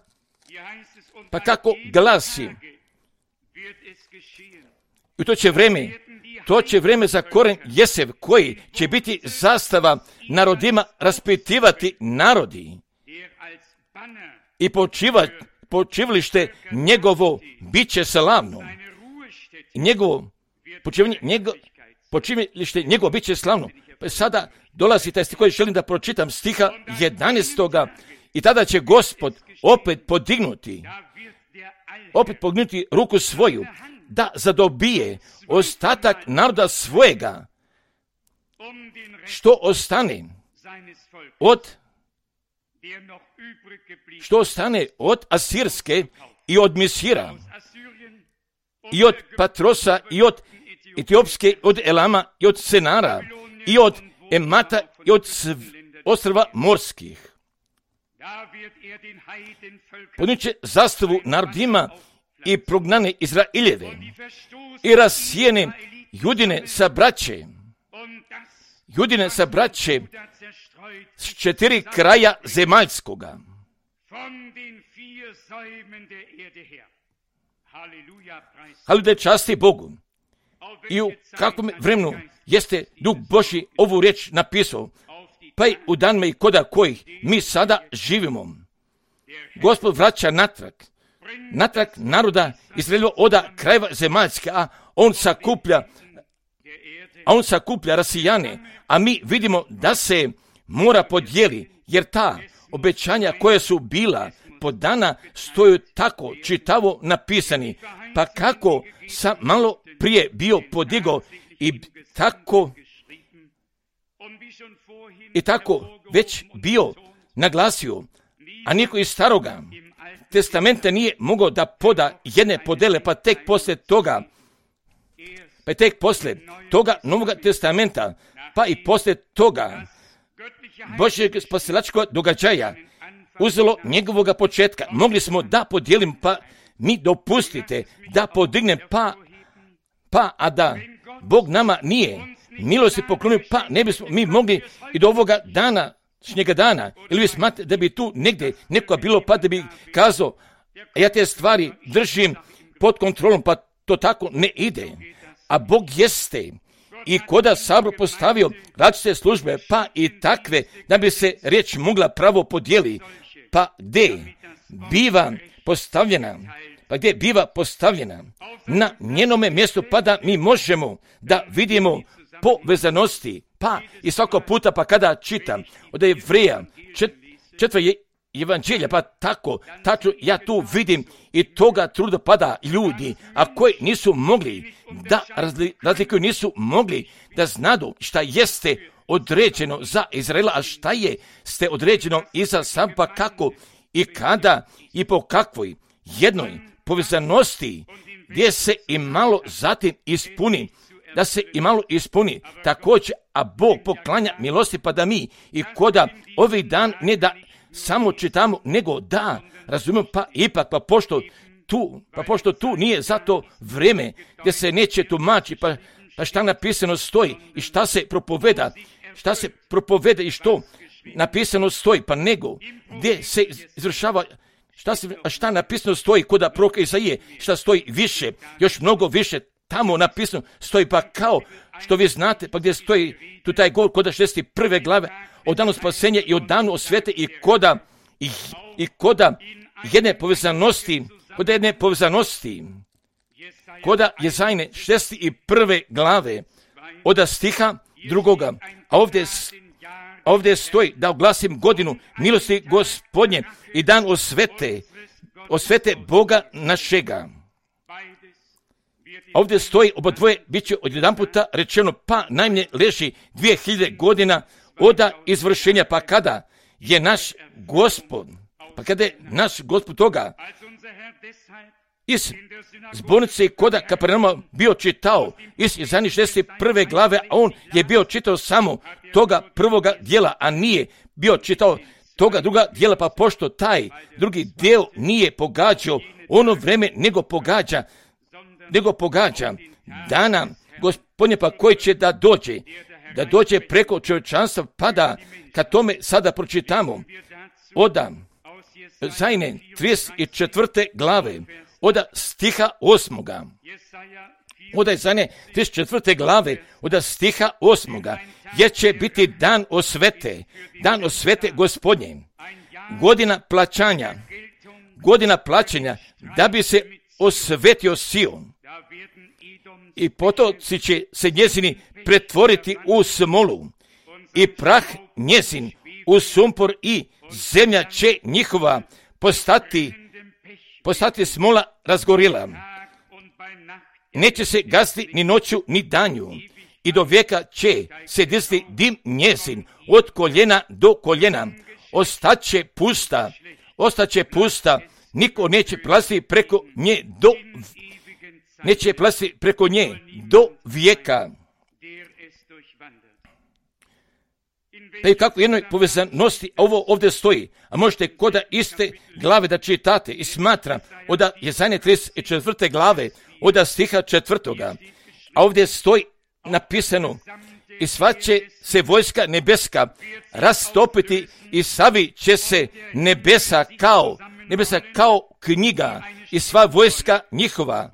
pa kako glasi, i to će vreme za koren Jesev, koji će biti zastava narodima, raspitivati narodi i počivalište njegovo bit će slavno. Počivalište njegovo bit će slavno. Pa sada dolazi taj stih koji želim da pročitam, stiha 11. I tada će Gospod opet podignuti ruku svoju, da zadobije ostatak naroda svojega, što ostane od Asirske i od Misira i od Patrosa i od Etiopske, od Elama i od Senara i od Emata i od ostrva morskih. Poniće zastavu narodima i prognane Izraeljeve i rasijene Judine sa braće Judine sa braće s 4 kraja zemaljskoga. Haleluja, časti Bogu. I u kakvom vremenu jeste Duh Božji ovu riječ napisao, pa i u danima i koda kojih mi sada živimo. Gospod vraća natrag naroda Izraelova oda krajeva zemaljske, a on sakuplja rasijane, a mi vidimo da se mora podijeli, jer ta obećanja koja su bila podana stoju tako čitavo napisani, pa kako sam malo prije bio podigao i tako već bio naglasio, a niko iz staroga testamenta nije mogao da poda jedne podele, pa tek poslije toga Novoga testamenta, pa i poslije toga Božjeg spasilačkog događaja uzelo njegovoga početka. Mogli smo da podijelim, pa mi dopustite da podignem, a da Bog nama nije milosti poklonio, pa ne bismo mi mogli i do ovoga današnjega dana. Ili vi smatrate da bi tu negdje nekoga bilo, pa da bi kazao, ja te stvari držim pod kontrolom, pa to tako ne ide. A Bog jeste i koda sabor postavio različite službe, pa i takve, da bi se riječ mogla pravo podijeli, pa gdje biva postavljena na njenome mjestu, pa da mi možemo da vidimo povezanosti, pa i svako puta, pa kada čitam od Jevreja 4. evanđelja, pa tako ja tu vidim i toga truda pada ljudi, a koji nisu mogli da razlikuju, nisu mogli da znadu šta jeste određeno za Izraela, a šta ste određeno i za sam, pa kako i kada i po kakvoj jednoj povezanosti gdje se i malo zatim ispuni, da se i malo ispuni također, a Bog poklanja milosti, pa da mi i koda ovih dan ne da samo čitamo, nego da razumijemo, pa ipak, pošto tu nije zato vrijeme gdje se neće tumači, pa šta napisano stoji i šta se propoveda i što napisano stoji, pa nego gdje se izvršava šta napisano stoji kod proroka Isaije, šta stoji više, još mnogo više tamo napisano stoji, pa kao što vi znate, pa gdje stoji tu taj govor kod 61. glave o danu spasenja i o danu osvete i koda jedne povezanosti, koda Jezajne 61. glave od stiha 2. A ovdje stoji da oglasim godinu milosti Gospodnje i dan osvete Boga našega. Ovdje stoji obadvoje, bit će odjedanputa rečeno, pa najmanje leži 2000 godina od izvršenja, pa kada je naš Gospod toga iz zbornice koda Kapernauma bio čitao iz Jezajne 61. glave, a on je bio čitao samo toga prvoga dijela, a nije bio čitao toga druga dijela, pa pošto taj drugi dio nije pogađao ono vreme, nego pogađa dana Gospodnje, pa koji će da dođe preko čovječanstva, pa da kad tome sada pročitamo od Jezajne 34. glave od stiha 8. Od Jezajne 34. glave od stiha 8. jer će biti dan osvete Gospodnje, godina plaćanja, da bi se osvetio Sion. I potoci će se njezini pretvoriti u smolu i prah njezin u sumpor i zemlja će njihova postati smola razgorila. Neće se gasiti ni noću ni danju i do vijeka će se dizati dim njezin od koljena do koljena. Ostaće pusta, niko neće prelaziti preko nje do vijeka. Pa i kako jednoj povezanosti ovo ovdje stoji, a možete koda iste glave da čitate i smatram od Jezajne 34. glave od stiha 4. A ovdje stoji napisano i sva će se vojska nebeska rastopiti i savi će se nebesa kao knjiga i sva vojska njihova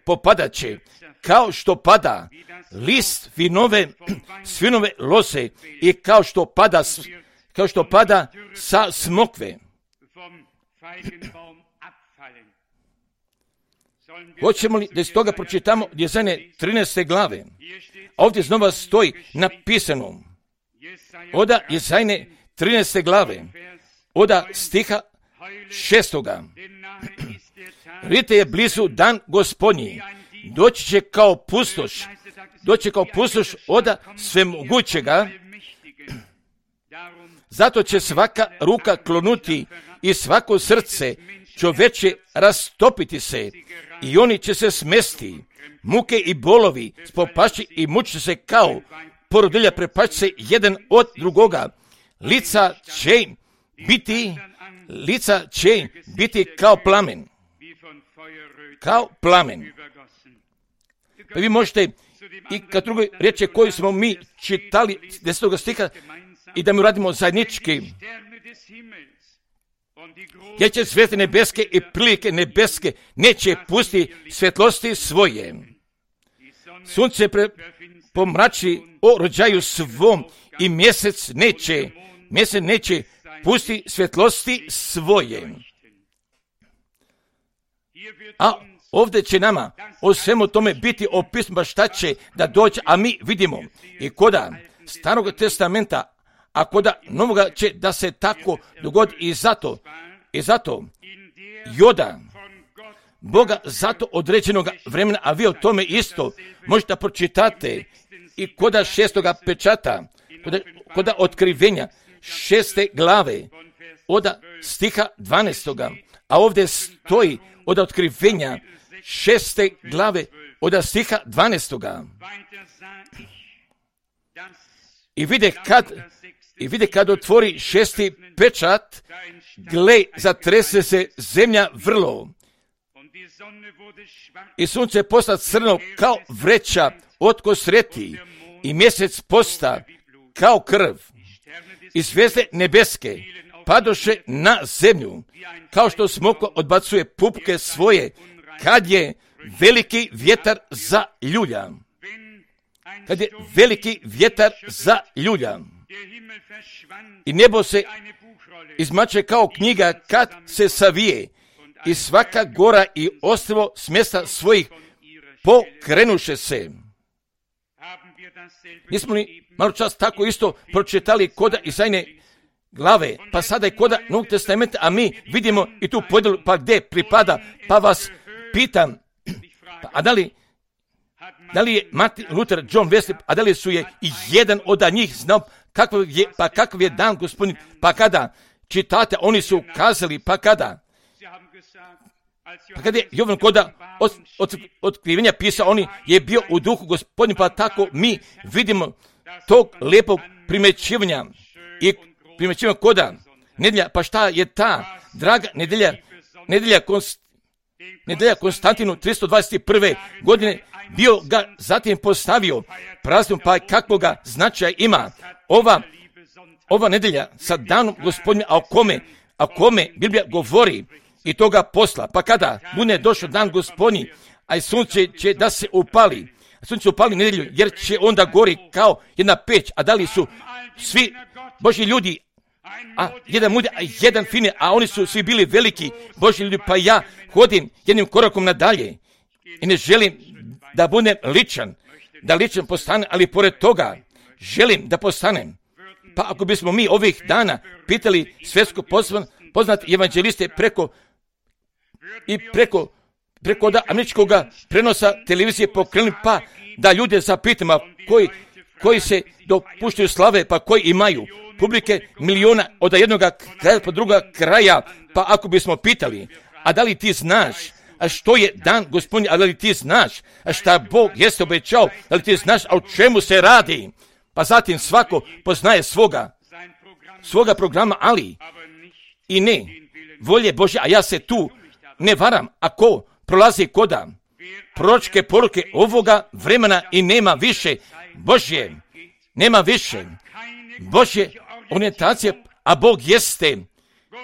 popadat će kao što pada list svinove loze i kao što pada sa smokve. Hoćemo li da iz toga pročitamo Jezajne 13. glave? A ovdje znova stoji napisano od Jezajne 13. glave, od stiha 6. Vidite je blizu dan Gospodnji, doći će kao pustoš od svemogućega, zato će svaka ruka klonuti i svako srce čoveče rastopiti se i oni će se smesti, muke i bolovi spopašći i mučiti se kao porodilja, prepašći se jedan od drugoga, lica će biti kao plamen. Pa vi možete i kad drugoj riječi koju smo mi čitali 10. stiha i da mi radimo zajednički, jer će zvijezde nebeske i prilike nebeske neće pustiti svjetlosti svoje. Sunce pomrači o rođaju svom i mjesec neće pustiti svjetlosti svoje. A ovdje će nama o svemu tome biti opisano šta će da dođe, a mi vidimo i koda Starog testamenta, a koda Novoga će da se tako dogodi i zato Joda Boga zato određenog vremena, a vi o tome isto možete pročitati i koda 6. pečata, koda otkrivenja 6. glave od stiha 12. A ovdje stoji od otkrivenja 6. glave od stiha 12. I vide kad otvori 6. pečat, gle, zatrese se zemlja vrlo. I sunce posta crno kao vreća od kosreti i mjesec posta kao krv. I zvijezde nebeske padoše na zemlju, kao što smoko odbacuje pupke svoje, kad je veliki vjetar zaljulja. I nebo se izmače kao knjiga kad se savije, i svaka gora i ostrvo s mjesta svojih pokrenuše se. Nismo li malo čas tako isto pročitali koda Jezajne glave, pa sada je koda Novog testamenta, a mi vidimo i tu podjelu, pa gdje pripada, pa vas pitam, a da li je Martin Luther, John Wesley, a da li su je i jedan od njih znao kakav je dan Gospodin, pa kada čitate, oni su kazali, pa kada je Jovan koda otkrivenja pisao, oni je bio u duhu Gospodin, pa tako mi vidimo tog lijepog primjećivanja i primjećivanja koda nedjelja, pa šta je ta draga nedjelja Konstantinu 321. godine bio ga zatim postavio praznom, pa kakvoga značaja ima ova nedjelja sa danom Gospodnja, a kome Biblija govori i toga posla, pa kada bude došao dan Gospodnji, a i sunce će da se upali, nedjelju, jer će onda gori kao jedna peć, a da li su svi Božji ljudi, a jedan mudri, a jedan fini, a oni su svi bili veliki Božji ljudi, pa ja hodim jednim korakom nadalje i ne želim da budem ličan postanem, ali pored toga želim da postanem. Pa ako bismo mi ovih dana pitali svjetsko poznati evanđeliste preko da američkog prenosa televizije pokrenuli, pa da ljude zapitamo koji se dopuštaju slave, pa koji imaju publike miliona od jednog kraja po druga kraja, pa ako bismo pitali, a da li ti znaš, a što je dan Gospodnji, a da li ti znaš, a šta Bog jeste obećao, da li ti znaš, a o čemu se radi, pa zatim svako poznaje svoga programa, ali i ne volje Božje, a ja se tu ne varam, ako prolazi koda proročke poruke ovoga vremena i nema više Božje nema više. Božje orijentacije, a Bog jeste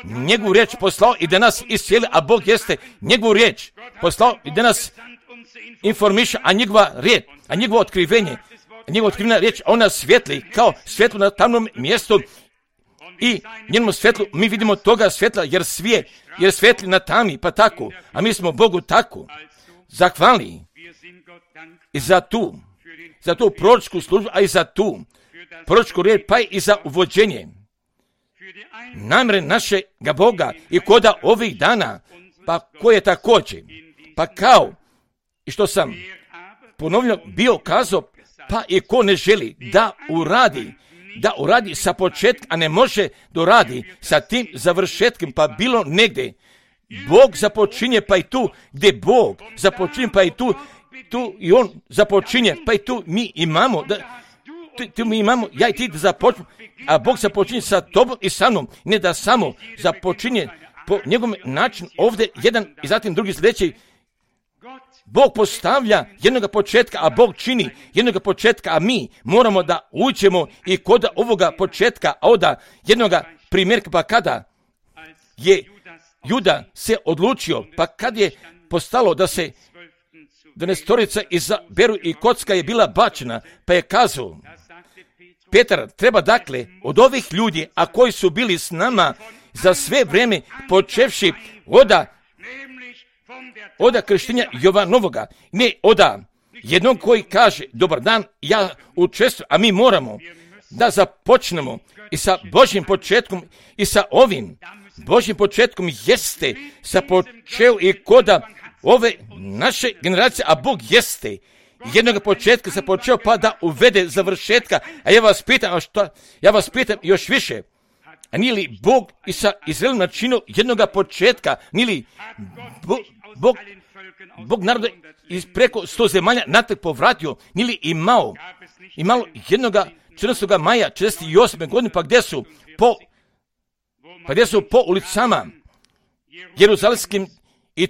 njegovu riječ poslao i da nas iscijeli, a Bog jeste njegovu riječ poslao i da nas informiše, a njegova riječ, a njegovo otkrivenje, njegova otkrivena riječ, ona svijetli kao svjetlo na tamnom mjestu i njenom svjetlu mi vidimo toga svjetla jer svijetli na tami, pa tako, a mi smo Bogu tako zahvalni i za tu proročku službu, a i za tu proročku riječ, pa i za uvođenje namjere našega Boga i koda ovih dana, pa koje također, pa kao i što sam ponovno bio kazao, pa i ko ne želi da uradi sa početka, a ne može doradi sa tim završetkom, pa bilo negdje Bog započinje, pa i tu gdje Bog započinje, pa i tu i on započinje, pa i tu mi imamo, ja i ti da započnemo, a Bog započinje sa tobom i sa mnom, ne da samo započinje po njegovom načinu ovdje jedan i zatim drugi sljedeći. Bog postavlja jednoga početka, a Bog čini jednoga početka, a mi moramo da uđemo i kod ovoga početka, a onda jednoga primjerka, pa kada je Juda se odlučio, pa kad je postalo da se 12 izaberu i kocka je bila bačena, pa je kazao, Petar, treba dakle od ovih ljudi, a koji su bili s nama za sve vrijeme, počevši oda krštenja Jovanovoga, ne oda jednog koji kaže, dobar dan, ja učestvujem, a mi moramo da započnemo i sa Božjim početkom i sa ovim Božjim početkom jeste započeo i koda ove naše generacije, a Bog jeste jednog početka započeo pa da uvede završetka, a ja vas pitam još više, a nije li Bog i sa Izraelom načinio jednog početka, nije li Bog naroda iz preko 100 zemalja natrag povratio, nije li imalo jednoga 14. maja 48. godine, pa gdje su po ulicama jeruzalemskim i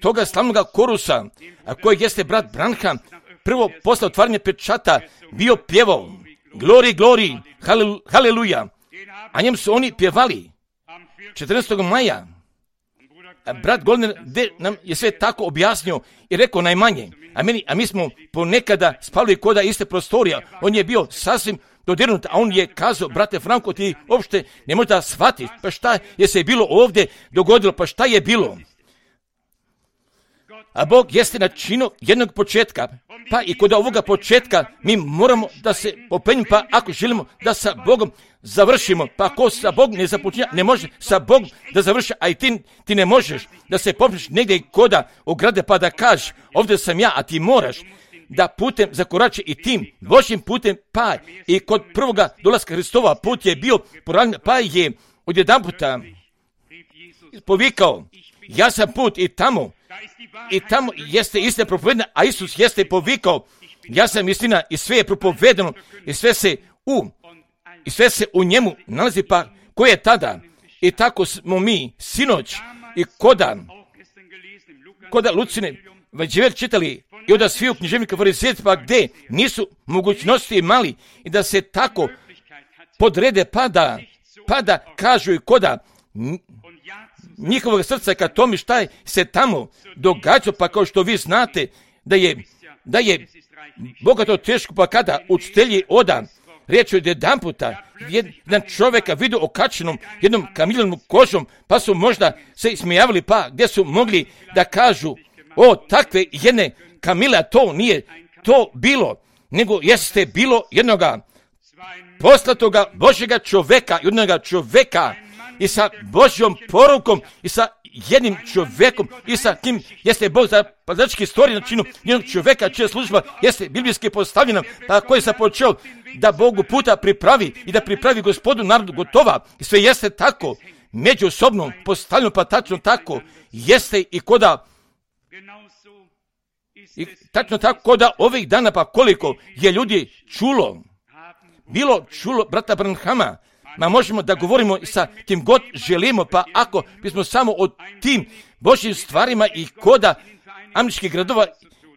toga slavnoga korusa, a kojeg jeste brat Branham prvo posle otvaranja pečata bio pjevao glori, glori, haleluja, a njem su oni pjevali 14. maja. Brat Goldner nam je sve tako objasnio i rekao najmanje, a mi smo ponekada spali koda iste prostorija, on je bio sasvim dodirnut, a on je kazao, brate Franko, ti uopšte ne možeš da shvatiš, pa šta je se bilo ovdje dogodilo, pa šta je bilo? A Bog jeste načinio jednog početka, pa i kod ovoga početka mi moramo da se popenjimo, pa ako želimo da sa Bogom završimo, pa ako sa Bogom ne započinja, ne može sa Bogom da završi, a i ti ne možeš da se popneš negdje koda ograde pa da kažeš, ovdje sam ja, a ti moraš da putem zakorači i tim Božjim putem, pa i kod prvoga dolaska Hristova put je bio poravljen, pa je odjedanputa povikao, ja sam put i tamo jeste istina propovedana, a Isus jeste povikao, ja sam istina i sve je propovedano i sve se u njemu nalazi, pa ko je tada? I tako smo mi sinoć i koda Lucine Vađever čitali i onda svi u književnika farizejaca, pa gdje nisu mogućnosti imali i da se tako podrede pa da kažu i koda njihovog srca ka tome šta je se tamo događa, pa kao što vi znate da je Boga to teško, pa kada učitelji oda riječ od jedan puta jedan čovjeka vidio okačenom jednom kamiljenom kožom, pa su možda se ismijavali, pa gdje su mogli da kažu, o takve jedne kamile, to nije to bilo, nego jeste bilo jednoga poslatoga Božjega čovjeka, jednoga čovjeka i sa Božjom porukom i sa jednim čovjekom i sa kim jeste Bog za padački stvorio načinu jednog čovjeka čija služba jeste biblijski postavljena, pa koji je započeo da Bogu puta pripravi i da pripravi Gospodu narodu gotova i sve jeste tako međusobno postavljeno, pa tačno tako jeste i koda i tačno tako koda ovih dana, pa koliko je ljudi bilo čulo brata Branhama. Ma možemo da govorimo sa kim god želimo, pa ako bismo samo o tim Božjim stvarima i koda američkih gradova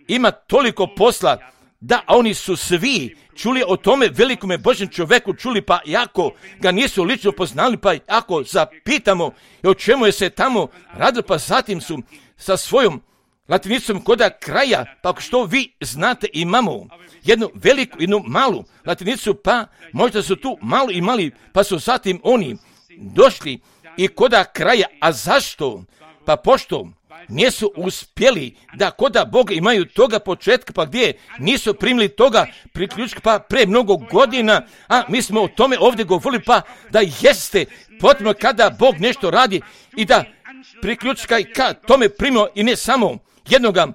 ima toliko posla Da, oni su svi čuli o tome velikome Božjem čovjeku, čuli, pa jako ga nisu lično poznali, pa ako zapitamo o čemu je se tamo radilo, pa zatim su sa svojom latinicom koda kraja, pa što vi znate, imamo jednu veliku, jednu malu latinicu, pa možda su tu malo i mali, pa su zatim oni došli i koda kraja. A zašto? Pa pošto nisu uspjeli da koda Boga imaju toga početka, pa gdje nisu primili toga priključka, pa pre mnogo godina, a mi smo o tome ovdje govorili, pa da jeste potrebno kada Bog nešto radi i da priključka i ka tome primimo i ne samo jednoga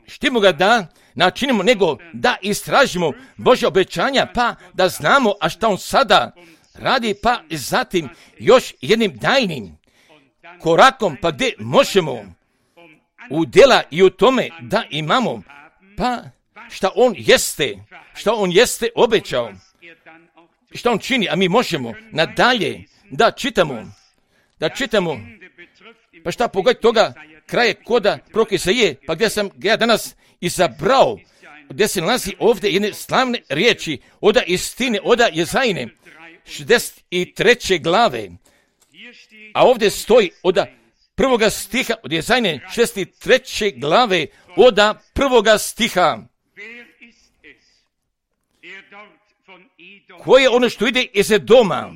štimo ga da načinimo, nego da istražimo Božja obećanja, pa da znamo a šta on sada radi, pa zatim još jednim tajnim korakom, pa gdje možemo u djela i u tome da imamo, pa šta on jeste obećao, šta on čini, a mi možemo nadalje da čitamo, pa šta pogledaj toga kraje koda proroka Isaije, pa gdje sam ja danas izabrao, gdje se nalazi ovdje jedne slavne riječi, oda istine, oda Jezajine, 63. glave, a ovdje stoji oda prvoga stiha, od Jezajine 63. glave, oda prvoga stiha. Koje je ono što ide iz Edoma,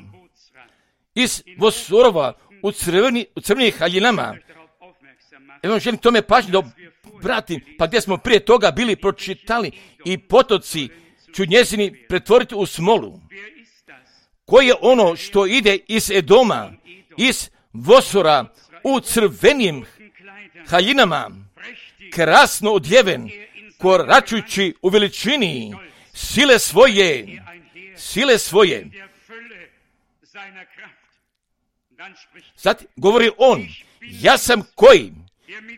iz Bosorova, u crvenih haljinama? Evo želim tome pažnju da obratim, pa gdje smo prije toga bili pročitali i potoci ću njezini pretvoriti u smolu. Koje je ono što ide iz Edoma, iz Bosora, u crvenim haljinama, krasno odjeven, koračujući u veličini sile svoje. Sad govori on, ja sam koji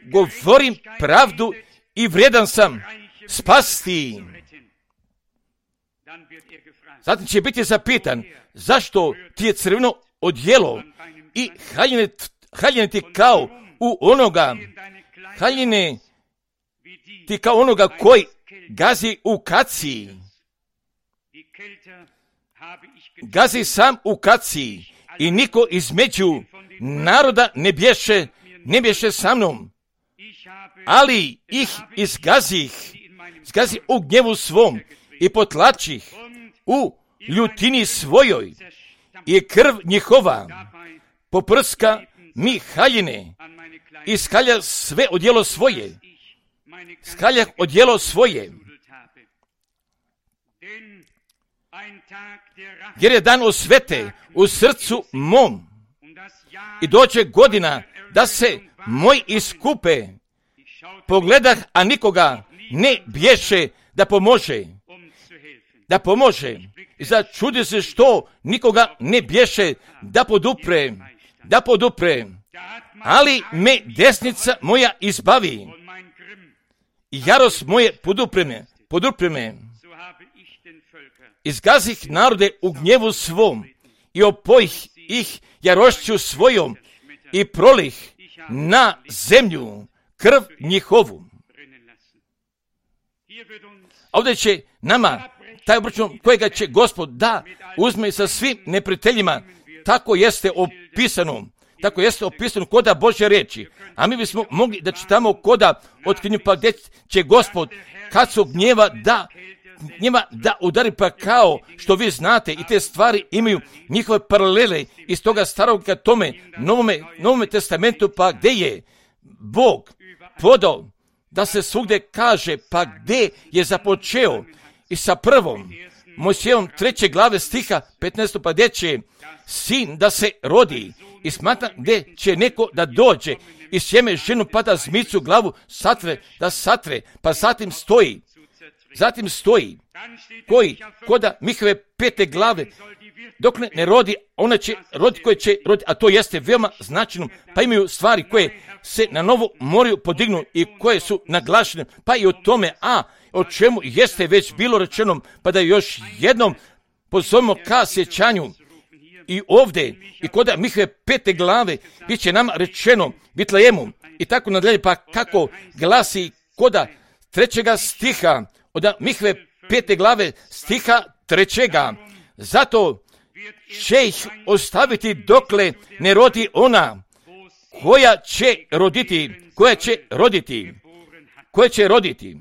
govorim pravdu i vrijedan sam spasti. Zatim će biti zapitan, zašto ti je crveno odjelo i haljine ti kao u onoga, haljine ti kao onoga koji gazi u kaci. Gazi sam u kaci i niko između naroda ne bješe sa mnom, ali ih izgazi u gnjevu svom i potlačih u ljutini svojoj i krv njihova poprska mi haljine i skalja sve odjelo svoje. Skaljah odjelo svoje. Jer je dan osvete u srcu mom i doće godina da se moj iskupe. Pogledah, a nikoga ne bješe da pomože. I začudi se što nikoga ne bješe da podupre. Ali me desnica moja izbavi i jarost moje podupre me. Izgazih narode u gnjevu svom i opojih ih jarošću svojom i prolih na zemlju krv njihovu. Ovdje će nama taj obračun kojega će Gospod da uzme sa svim neprijateljima, tako jeste opisano koda Božje riječi. A mi bismo mogli da čitamo koda otkrinju, pa gdje će Gospod kad su gnjeva da udari, pa kao što vi znate i te stvari imaju njihove paralele iz toga starog ka tome novome testamentu, pa gdje je Bog podao da se svugdje kaže, pa gdje je započeo i sa prvom Mojsijevom 3. glave stiha 15. pa gdje će sin da se rodi i smatra gdje će neko da dođe i sjeme ženu pa da zmicu glavu satre, pa zatim stoji koji koda Mihove 5. glave dok ne rodi, ona će roditi koje će roditi, a to jeste veoma značajno, pa imaju stvari koje se na novo moraju podignu i koje su naglašene, pa i o tome, o čemu jeste već bilo rečeno, pa da još jednom pozovemo ka sjećanju. I ovdje, i koda Mihove 5. glave, bit će nama rečeno Vitlejemu i tako nadalje, pa kako glasi koda 3. stiha, od Mihve 5. glave stiha 3. Zato će ih ostaviti dokle ne rodi ona koja će roditi.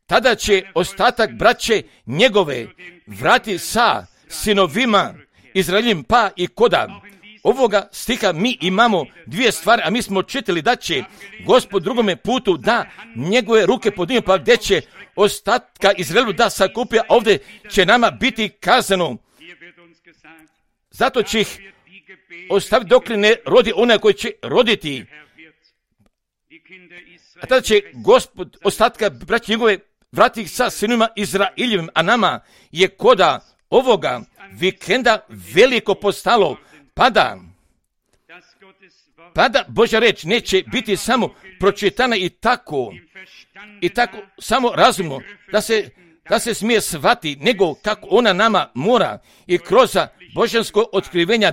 Tada će ostatak braće njegove vrati sa sinovima Izraeljim, pa i koda ovoga stiha mi imamo dvije stvari, a mi smo čitali da će Gospod drugome putu da njegove ruke podigne, pa gdje će ostatka Izraelu da sakupi, a ovdje će nama biti kazano. Zato će ih ostaviti dok ne rodi onaj koji će roditi. A tada će Gospod ostatka braće njegove vrati sa sinovima Izraeljevim, a nama je koda ovoga vikenda veliko postalo, pada Božja reč neće biti samo pročitana i tako samo razumno da se smije shvati, nego kako ona nama mora i kroz božansko otkrivenja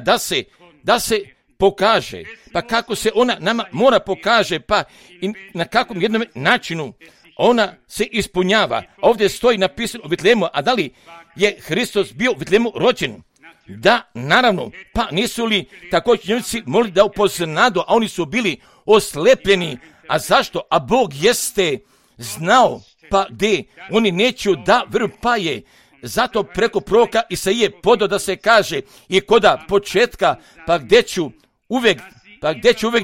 da se pokaže. Pa kako se ona nama mora pokaže, pa i na kakvom jednom načinu ona se ispunjava. Ovdje stoji napisano u Vitlemu, a da li je Hristos bio u Vitlemu rođen? Da, naravno, pa nisu li također njemci mogli da upoznadu, a oni su bili oslepljeni. A zašto? A Bog jeste znao, pa gdje oni neću da vjeruju, pa je zato preko proroka Isaije podao da se kaže i koda početka, pa gdje ću uvijek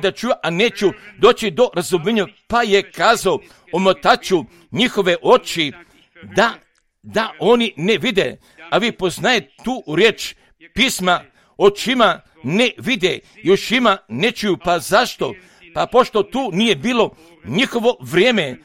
da čuju, a neću doći do razumijenja, pa je kazao omotaću njihove oči da oni ne vide. A vi poznajete tu riječ pisma, očima ne vide i ušima ne čuju. Pa zašto? Pa pošto tu nije bilo njihovo vrijeme.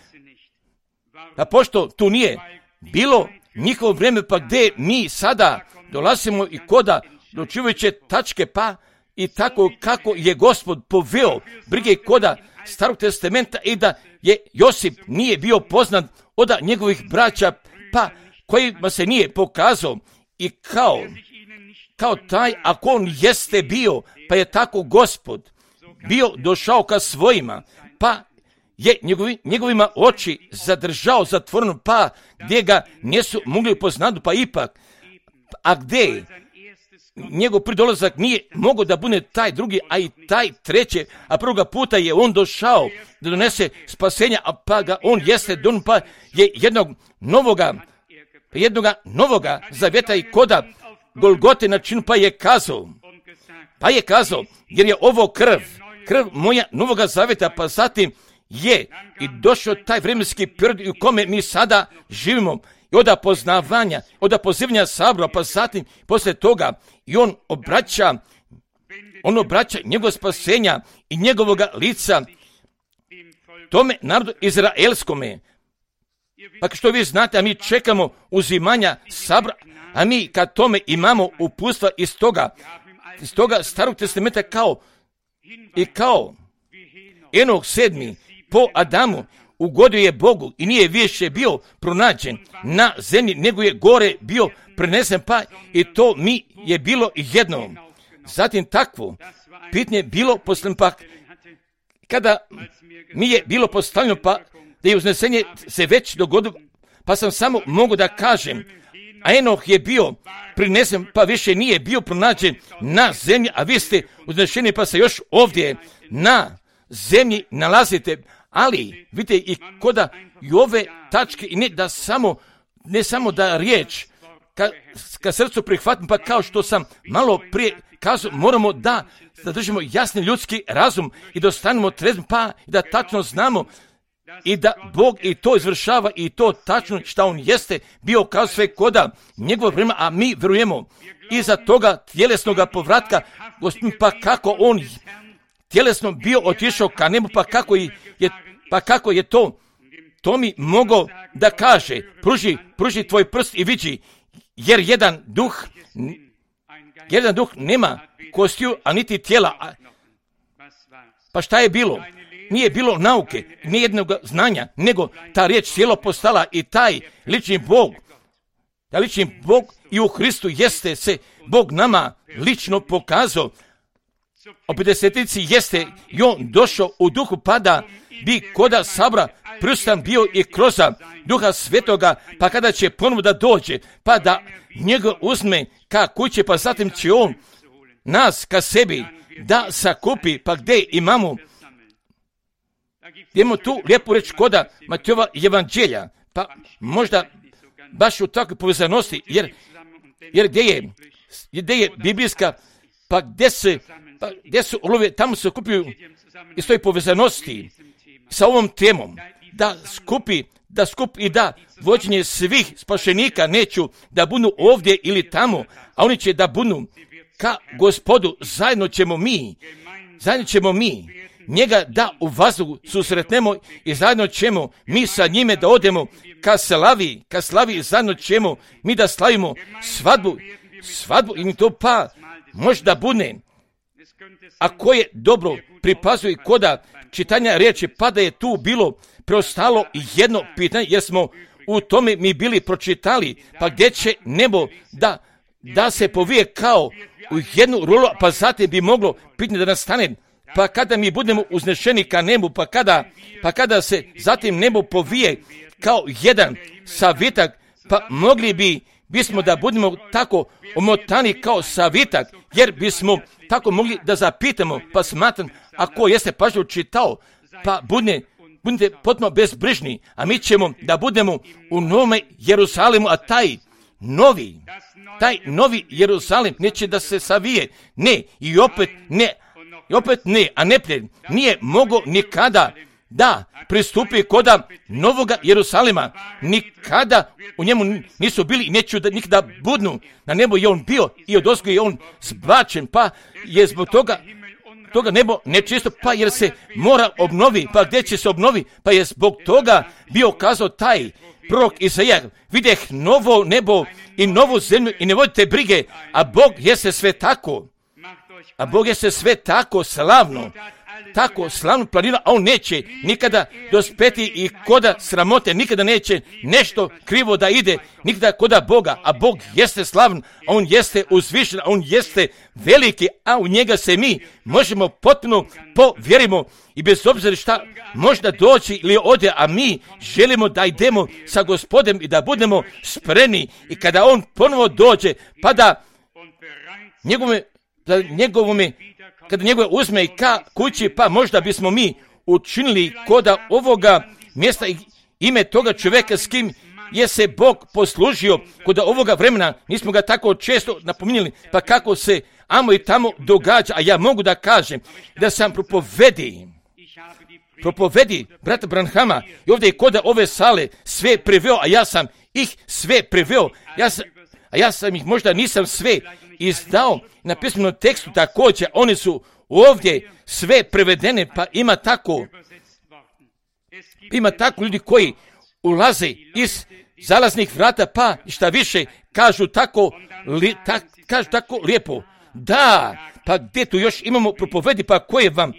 Pa pošto tu nije bilo njihovo vrijeme, pa gdje mi sada dolazimo i koda dočuvajuće tačke, pa i tako kako je Gospod poveo brige koda Starog testamenta i da je Josip nije bio poznat od njegovih braća, pa kojima se nije pokazao i kao taj, ako on jeste bio, pa je tako Gospod bio došao ka svojima, pa je njegovima oči zadržao zatvoreno, pa gdje ga nisu mogli poznati, pa ipak, a gdje njegov pridolazak nije mogao da bude taj drugi, a i taj treći, a prvoga puta je on došao da donese spasenja, a pa ga on jeste don, pa je jednog novoga zavjeta i koda Golgote načinu, pa je kazao, jer je ovo krv moja novoga zavjeta, pa zatim je i došao taj vremenski period u kome mi sada živimo i od poznavanja, od pozivanja sabora, pa zatim poslije toga i on obraća njegov spasenja i njegovoga lica tome narodu izraelskome. Pa što vi znate, a mi čekamo uzimanja sabora, a mi kad tome imamo upustva iz toga Starog testamenta kao Enoh 7. po Adamu ugodio je Bogu i nije više bio pronađen na zemlji, nego je gore bio prenesen, pa i to mi je bilo jedno. Zatim takvo pitanje bilo postavljeno, pa kada mi je bilo postavljeno, pa da je uznesenje se već dogodilo, pa sam samo mogu da kažem, a Enoh je bio prinesen, pa više nije bio pronađen na zemlji, a vi ste uznešeni, pa se još ovdje na zemlji nalazite. Ali vidite i koda i ove tačke, i ne samo da riječ ka srcu prihvatim, pa kao što sam malo prije kazao, moramo da zadržimo jasni ljudski razum i da ostanemo trezni, pa i da tačno znamo i da Bog i to izvršava i to tačno šta on jeste bio kao sve koda njegovo vrijeme, a mi vjerujemo iza toga tjelesnoga povratka Gospodin, pa kako on tjelesno bio otišao ka nebu, pa kako je to mi mogo da kaže, pruži tvoj prst i vidi, jer jedan duh nema kostiju, a niti tijela. Pa šta je bilo? Nije bilo nauke, nijednog znanja, nego ta riječ cijelo postala i taj lični Bog i u Hristu jeste se Bog nama lično pokazao. O 50-ici jeste i on došao u duhu, pa da bi koda sabra prisutan bio i kroz Duha Svetoga, pa kada će ponovo da dođe, pa da njega uzme ka kuće, pa zatim će on nas ka sebi da sakupi, pa gdje imamo tu lijepu reč koda Matejova evanđelja, pa možda baš u takvoj povezanosti, jer gdje je biblijska, pa gdje su olove, tamo se okupljuju iz toj povezanosti sa ovom temom, da skupi i da vođenje svih spašenika neću da budu ovdje ili tamo, a oni će da budu ka Gospodu, zajedno ćemo mi njega da u vazduhu susretnemo i zajedno ćemo mi sa njime da odemo ka slavi, zajedno ćemo mi da slavimo svadbu i to pa možda bude, ako je dobro pripazuje koda čitanja riječi, pa da je tu bilo preostalo jedno pitanje, jer smo u tome mi bili pročitali, pa gdje će nebo da se povije kao u jednu rulu, pa zatim bi moglo pitanje da nastane, pa kada mi budemo uznešeni ka nebu, pa kada se zatim nebo povije kao jedan savitak, pa mogli bismo da budemo tako omotani kao savitak, jer bismo tako mogli da zapitamo, pa smatram, ako jeste pažljivo čitao, pa budite potpuno bezbrižni, a mi ćemo da budemo u Novome Jerusalimu, a taj novi Jerusalim neće da se savije, ne, i opet ne, a neprijatelj nije mogao nikada da pristupi koda Novoga Jerusalima, nikada u njemu nisu bili i neću da nikada budnu, na nebo je on bio i odozgo je on zbačen, pa je zbog toga nebo nečisto, pa jer se mora obnovi, pa gdje će se obnovi, pa je zbog toga bio kazao taj prorok Isaija, videh novo nebo i novu zemlju i ne vodite brige, a Bog jeste sve tako slavno planira, a on neće nikada dospeti i koda sramote, nikada neće nešto krivo da ide, nikada koda Boga, a Bog jeste slavan, a on jeste uzvišen, a on jeste veliki, a u njega se mi možemo potpuno povjerimo i bez obzira šta možda doći ili ode, a mi želimo da idemo sa Gospodem i da budemo spremni i kada on ponovo dođe, pa da kada njegove uzme i ka kući, pa možda bismo mi učinili koda ovoga mjesta i ime toga čovjeka s kim je se Bog poslužio, koda ovoga vremena nismo ga tako često napominjali, pa kako se amo i tamo događa, a ja mogu da kažem da sam propovedi brata Branhama i ovdje je koda ove sale sve preveo, a ja sam ih sve preveo, ja sam ih možda nisam sve izdao na pismenom tekstu također, oni su ovdje sve prevedene, pa ima tako ljudi koji ulaze iz zalaznih vrata, pa šta više kažu tako lijepo. Da, pa gdje tu još imamo propovedi, pa koje vam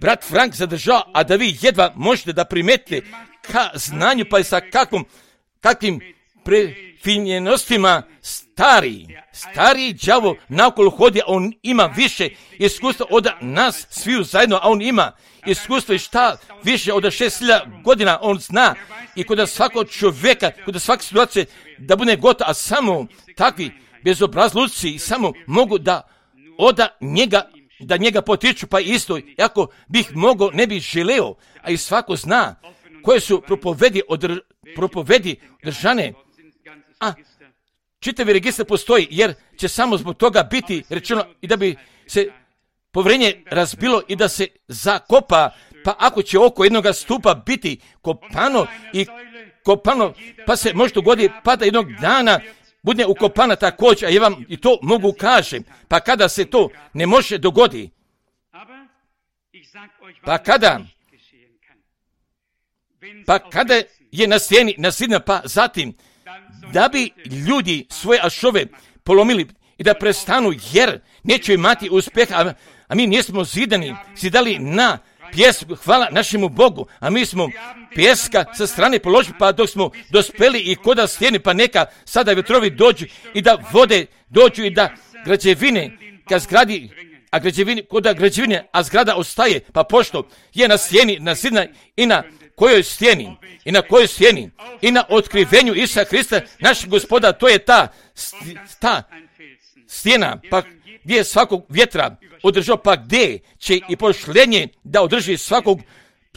brat Frank zadržao, a da vi jedva možete da primetite ka znanju, pa i sa kakvim prefinjenostima stari đavo naokolo hodi, a on ima više iskustva od nas sviju zajedno, a on ima iskustva i šta više od 6.000 godina, on zna i kod svakog čovjeka, kod svake situacije da bude gotovo, a samo takvi bezobrazluci samo mogu da njega potiču, pa isto, ako bih mogao, ne bih želeo, a i svako zna koje su propovedi držane, a čitavi registar postoji, jer će samo zbog toga biti rečeno i da bi se povjerenje razbilo i da se zakopa, pa ako će oko jednoga stupa biti kopano, pa se može dogoditi, pa da jednog dana bude ukopana također, a ja vam i to mogu kažem, pa kada se to ne može dogoditi, pa kada je na stijeni nasidna, pa zatim da bi ljudi svoje ašove polomili i da prestanu, jer neće imati uspjeha, a mi nismo zidali na pjesku, hvala našemu Bogu, a mi smo pjeska sa strane položili, pa dok smo dospeli i koda stijeni, pa neka sada vjetrovi dođu i da vode dođu i da građevine ka zgradi, a građevine, a zgrada ostaje, pa pošto je na stijeni, na zidna i na kojoj stijeni? I na kojoj stijeni? I na otkrivenju Isusa Hrista, našeg Gospoda, to je ta stijena, pa gdje je svakog vjetra održao, pa gdje će i pošlenje da održi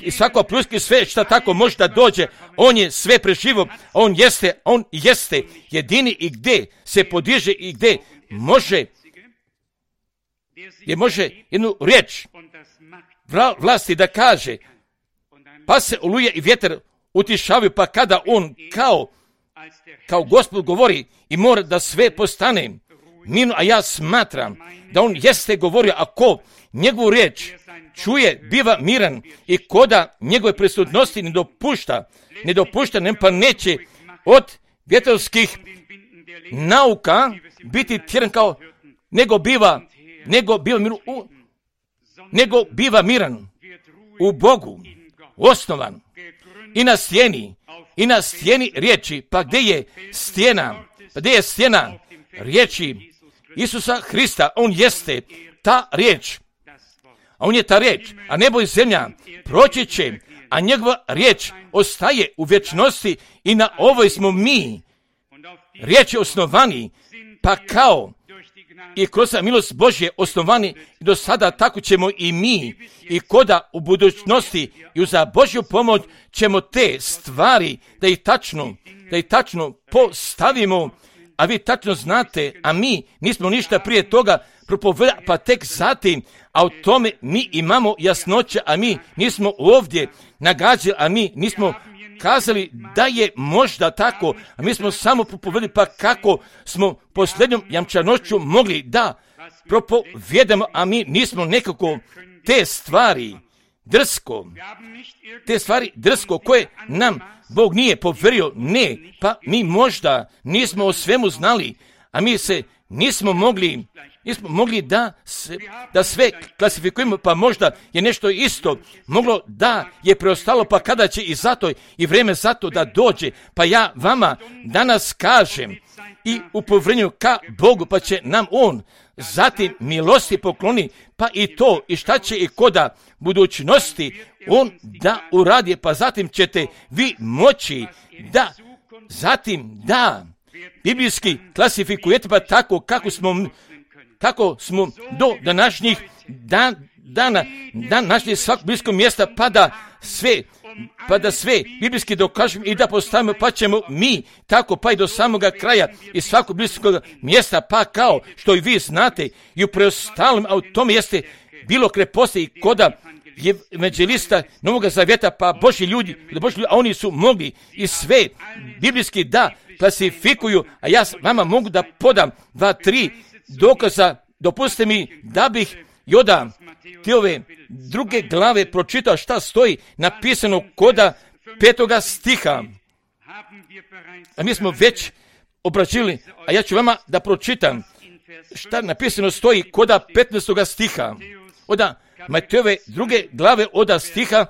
i svako pljuski sve šta tako može da dođe. On je sve preživo, on jeste jedini i gdje se podiže i gdje može jednu riječ vlasti da kaže, pa se oluje i vjetar utišavaju, pa kada on kao Gospod govori i mora da sve postane mirno, a ja smatram da on jeste govorio, ako njegovu riječ čuje, biva miran i koda njegove prisutnosti ne dopušta, pa neće od vjetrovskih nauka biti tjeran nego biva miran u Bogu, osnovan i na stijeni riječi. Pa gdje je stijena riječi Isusa Hrista? On jeste ta riječ. A on je ta riječ, a nebo i zemlja proći će, a njegova riječ ostaje u vječnosti i na ovoj smo mi riječi osnovani, pa kao i kroz milost Božje osnovani do sada, tako ćemo i mi i koda u budućnosti i uz Božju pomoć ćemo te stvari da ih tačno postavimo, a vi tačno znate, a mi nismo ništa prije toga propovedali, pa tek zatim, a o tome mi imamo jasnoće, a mi nismo ovdje nagađali, a mi nismo kazali da je možda tako, a mi smo samo propovedali, pa kako smo posljednjom jamčanošću mogli da propovedamo, a mi nismo nekako te stvari drsko koje nam Bog nije poverio, ne, pa mi možda nismo o svemu znali, a mi se nismo mogli da sve klasifikujemo, pa možda je nešto isto moglo da je preostalo, pa kada će i zato i vrijeme zato da dođe, pa ja vama danas kažem i u povjerenju ka Bogu, pa će nam on zatim milosti pokloni, pa i to i šta će i koda budućnosti on da uradi, pa zatim ćete vi moći da zatim da biblijski klasifikujete, pa tako kako smo do današnjih dana našli svakog biblijskog mjesta, pa da sve biblijski dokažemo i da postavimo, pa ćemo mi tako pa i do samoga kraja i svakog biblijskog mjesta, pa kao što i vi znate i u preostalom, a u tome jeste bilo kreposti i koda evanđelista Novoga Zavjeta, pa Božji ljudi, a oni su mogli i sve biblijski da klasifikuju, a ja vama mogu da podam 2-3 dokaza. Dopustite mi da bih Joda te ove 2. glave pročitao šta stoji napisano koda 5. stiha. A mi smo već obrađili, a ja ću vama da pročitam šta napisano stoji koda 15. stiha. Oda Matejove 2. glave oda stiha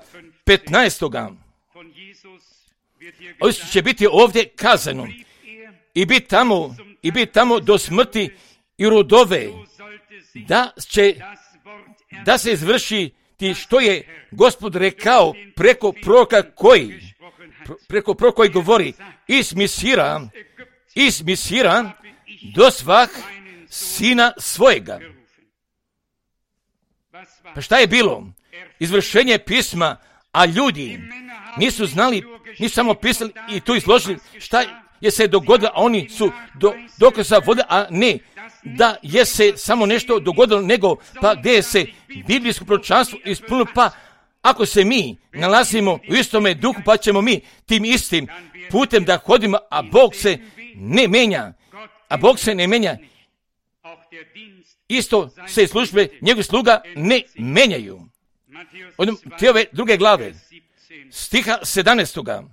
15. Ovo će biti ovdje kazano i biti tamo do smrti i rodove, da se izvrši ti što je Gospod rekao preko proroka koji govori ismisira do svah sina svojega. Pa šta je bilo? Izvršenje pisma, a ljudi nisu znali, nisu samo pisali i to izložili šta je se dogodilo, a oni su dokaza vodili, a ne da je se samo nešto dogodilo, nego pa gdje je se biblijsko proročanstvo ispunilo, pa ako se mi nalazimo u istome duhu, pa ćemo mi tim istim putem da hodimo, a Bog se ne menja, isto se službe njegovih sluga ne menjaju. Te ove 2. glave, stiha 17.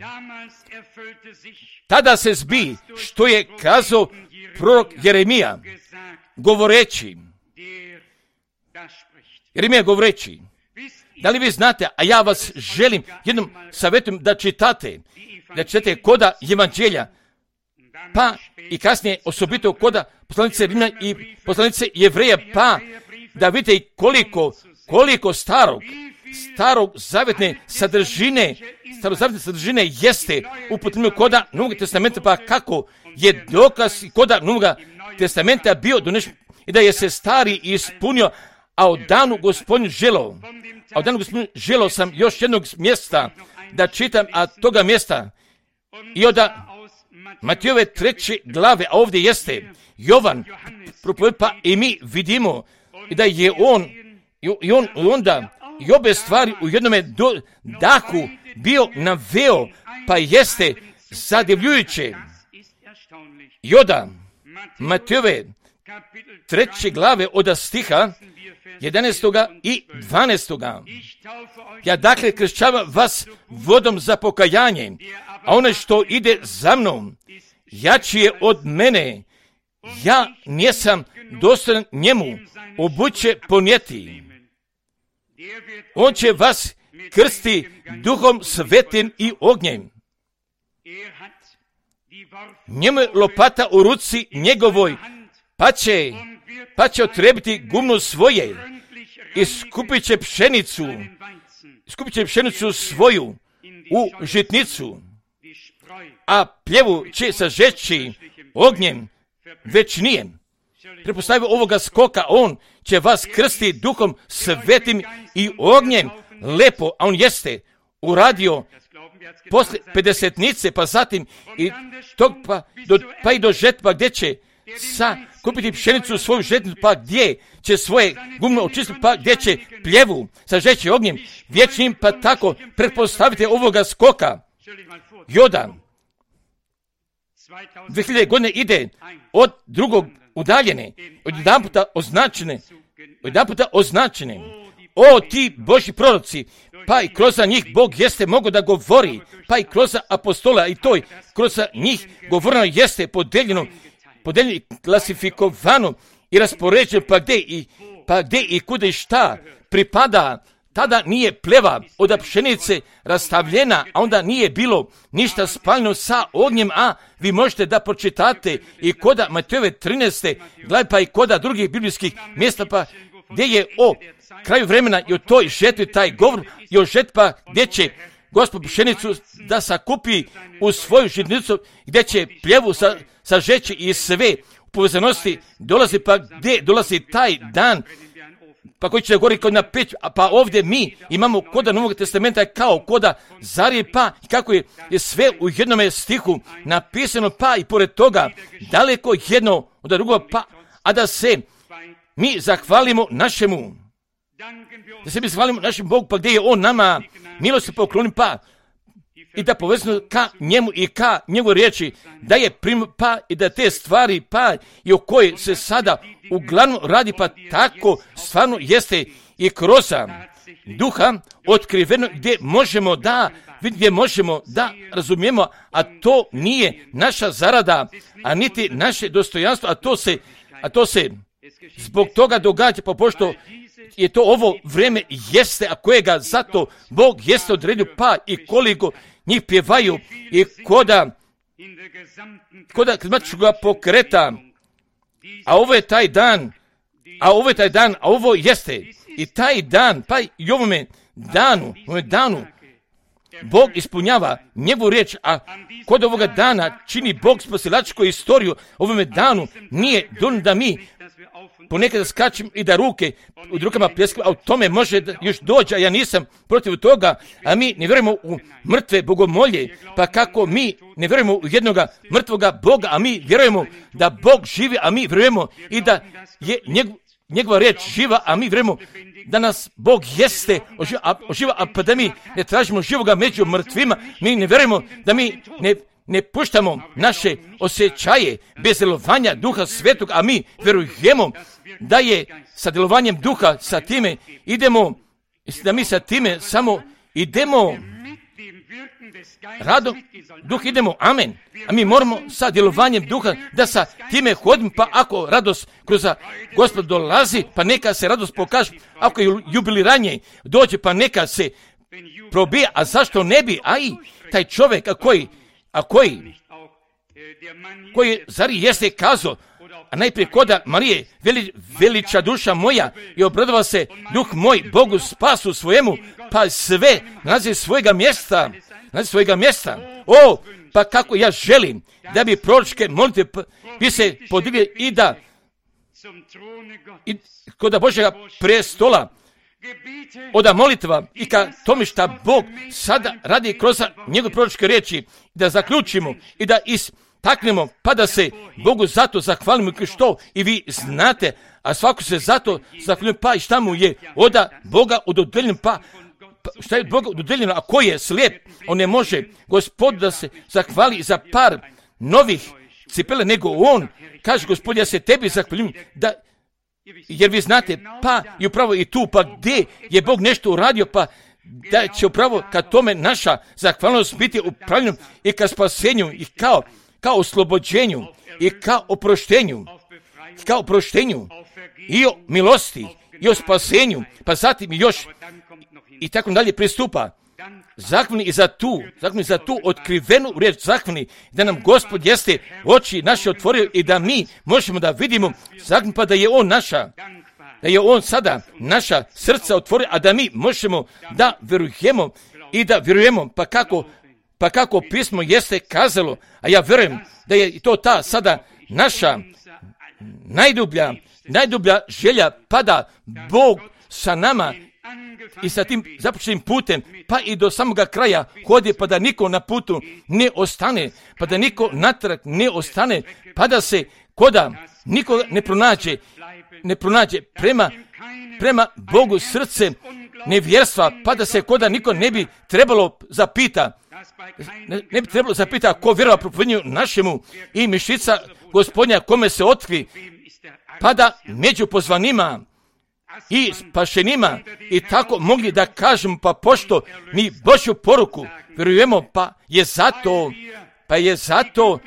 Tada se zbi što je kazao prorok Jeremija govoreći, da li vi znate, a ja vas želim jednom savjetujem da čitate koda Evanđelja, pa i kasnije osobito koda poslanice Rimljana i poslanice Jevreja, pa da vidite koliko starog starozavjetne sadržine jeste upotrebljeno koda Novog testamenta, pa kako je dokaz koda Novog testamenta bio donešen i da je se stari ispunio, a od danu Gospodin želo sam još jednog mjesta da čitam, a toga mjesta i od Matejove 3. glave, a ovdje jeste Jovan propovjed, pa i mi vidimo da je on onda i obe stvari u jednome dahu bio naveo, pa jeste zadivljujuće. I od Matejove 3. glave od stiha 11. i 12. Ja dakle kršćavam vas vodom za pokajanje, a onaj što ide za mnom jači je od mene, ja nisam dostojan njemu obuće ponijeti. On će vas krsti Duhom Svetim i ognjem. Njemu je lopata u ruci njegovoj, pa će otrebiti gumno svoje i skupit će pšenicu svoju u žitnicu, a pljevu će sažeći ognjem večnijem. Prepostavio ovoga skoka, on će vas krsti Duhom Svetim i ognjem. Lepo, a on jeste uradio posle 50-nice, pa zatim i tog pa i do žetva, gdje će kupiti pšenicu u svoju žetnicu, pa gdje će svoje gumno očistiti, pa gdje će pljevu sažeći ognjem vječnim, pa tako pretpostavite ovoga skoka. Joda 2000 godine ide od drugog udaljene, od jedan puta označene. O ti Božji proroci, pa i kroz njih Bog jeste mogao da govori, pa i kroz apostola i toj, kroz njih govoreno jeste podeljeno, klasifikovano i raspoređeno, pa gdje i kuda i šta pripada. Tada nije pleva od pšenice rastavljena, a onda nije bilo ništa spaljeno sa ognjem, a vi možete da pročitate i koda Matejove 13. glave, pa i koda drugih biblijskih mjesta, pa gdje je o kraju vremena i o toj žetvi taj govor i o žetva gdje će Gospod pšenicu da sakupi u svoju žitnicu, gdje će pljevu sažeći i sve u povezanosti dolazi, pa gdje dolazi taj dan, pa koji će gori kod na peć, pa ovdje mi imamo koda Novog testamenta kao koda zarije, pa kako je sve u jednome stihu napisano, pa i pored toga daleko jedno od drugog, pa a da se mi zahvalimo našemu, Bogu, pa gdje je on nama milosti pokloni, pa i da povezano ka njemu i ka njegovoj riječi, da je pa i da te stvari, pa i o kojoj se sada uglavnom radi, pa tako stvarno jeste i kroz duha otkriveno, gdje možemo da razumijemo, a to nije naša zarada, a niti naše dostojanstvo, a to se zbog toga događa, pa pošto je to ovo vrijeme jeste, a kojega zato Bog jeste odredio, pa i koliko njih pjevaju i koda krizmatičkog pokreta, a ovo je taj dan, a ovo jeste i taj dan, pa i ovome danu Bog ispunjava njegovu riječ, a kod ovoga dana čini Bog spasilačku istoriju. Ovome danu nije dovoljno da mi ponekad skačem i da ruke u rukama pljeskamo, a u tome može još doći, a ja nisam protiv toga, a mi ne vjerujemo u mrtve bogomolje, pa kako mi ne vjerujemo u jednoga mrtvoga Boga, a mi vjerujemo da Bog živi, a mi vjerujemo i da je njegova riječ živa, a mi vjerujemo da nas Bog jeste oživa, a pa da mi ne tražimo živoga među mrtvima, mi ne vjerujemo da mi ne puštamo naše osjećaje bez djelovanja Duha Svetog, a mi vjerujemo da je sa djelovanjem Duha, sa time idemo, da mi sa time samo idemo radom Duh idemo, amen. A mi moramo sa djelovanjem Duha da sa time hodimo, pa ako radost kroz Gospod dolazi, pa neka se radost pokaže, ako je jubiliranje dođe, pa neka se probija, a zašto ne bi, a i taj čovjek koji zar jeste kazao, a najprije koda Marije, veliča duša moja i obradova se duh moj Bogu spasu svojemu, pa sve nalazi svojega mjesta. O, pa kako ja želim da bi proročke molitve bi se podigli i da kod Božjega prestola oda molitva i ka tome šta Bog sada radi kroz njegove proročke riječi, da zaključimo i da istaknemo, pa da se Bogu zato zahvalimo, što i vi znate, a svako se zato zahvalimo, pa i šta mu je oda Boga ododeljeno, pa šta je Boga ododeljeno, a ko je slijep, on ne može Gospodu da se zahvali za par novih cipele, nego on kaže: Gospod, ja se tebi zahvaljujem, da jer vi znate, pa i upravo i tu, pa gdje je Bog nešto uradio, pa da će upravo ka tome naša zahvalnost biti upravljena i ka spasenju i kao oslobođenju i kao oproštenju i o milosti i o spasenju, pa zatim još i tako dalje pristupa. Zahvalni i za tu otkrivenu riječ, zahvalni da nam Gospod jeste oči naše otvorio i da mi možemo da vidimo, zahvalni pa da je on da je on sada naša srca otvorio, a da mi možemo da verujemo i da vjerujemo, pa kako pismo jeste kazalo, a ja vjerujem da je to ta sada naša najdublja želja, pa da Bog sa nama i sa tim započetim putem, pa i do samoga kraja hodi, pa da niko na putu ne ostane, pa da niko natrag ne ostane, pa da se koda niko ne pronađe prema Bogu srce nevjerstva, pa da se koda niko ne bi trebalo zapita ko vjerova propovednju našemu i mišica Gospodnja kome se otkri, pa da među pozvanima i spašenima i tako mogli da kažemo, pa pošto mi Božju poruku vjerujemo, pa je zato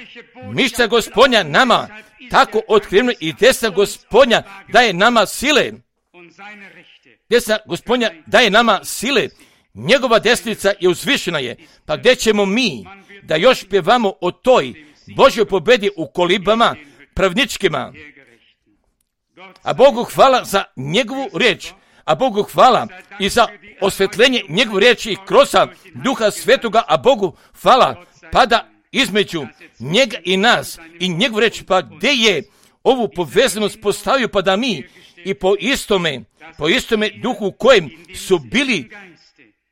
mišća Gospodnja nama tako otkriveno i desna Gospodnja daje nama sile. Desna Gospodnja daje nama sile. Njegova desnica je uzvišena je. Pa gdje ćemo mi da još pjevamo o toj Božjoj pobedi u kolibama pravničkima? A Bogu hvala za njegovu riječ, a Bogu hvala i za osvetljenje njegove riječi kroz Duha Svetoga, a Bogu hvala pada između njega i nas i njegovu riječ, pa gdje je ovu povezanost postavio, pa da mi i po istome duhu u kojem su bili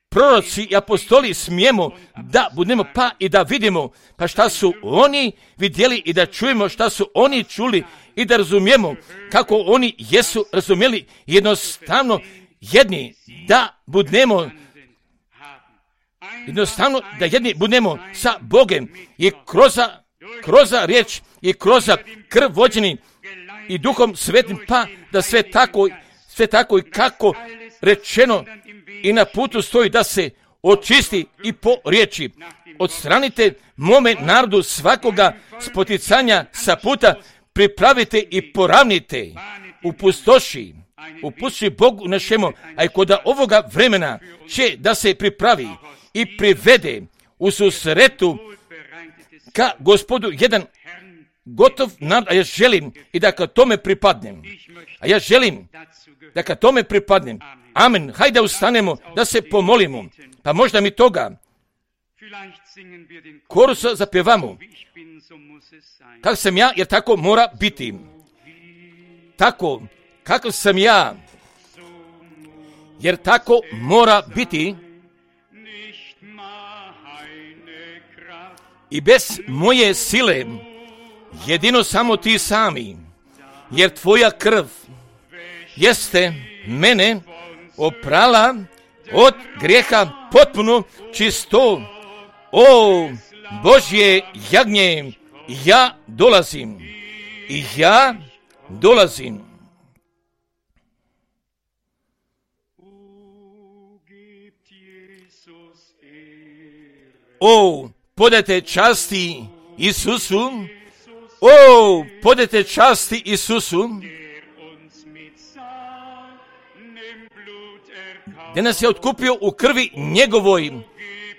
proroci i apostoli smijemo da budemo, pa i da vidimo pa šta su oni vidjeli i da čujemo šta su oni čuli i da razumijemo kako oni jesu razumjeli, jednostavno jedni da budemo sa Bogem i kroz riječ i kroz krv vođeni i Duhom Svetim, pa da sve tako i kako rečeno i na putu stoji da se očisti i po riječi. Odstranite mome narodu svakoga spoticanja sa puta, pripravite i poravnite upustoši Bogu našemu, a i kod ovoga vremena će da se pripravi i privede u susretu ka Gospodu jedan gotov narod, a ja želim i da ka tome pripadnem. Amen. Hajde ustanemo da se pomolimo. Pa možda mi toga korusa zapjevamo. Kako sam ja, jer tako mora biti. Tako, kako sam ja, jer tako mora biti. I bez moje sile, jedino samo ti sami, jer tvoja krv jeste mene oprala od grijeha potpuno čisto. O Božje jagnje, ja dolazim. O, podajte časti Isusu. O, podajte časti Isusu, gdje nas je otkupio u krvi njegovoj.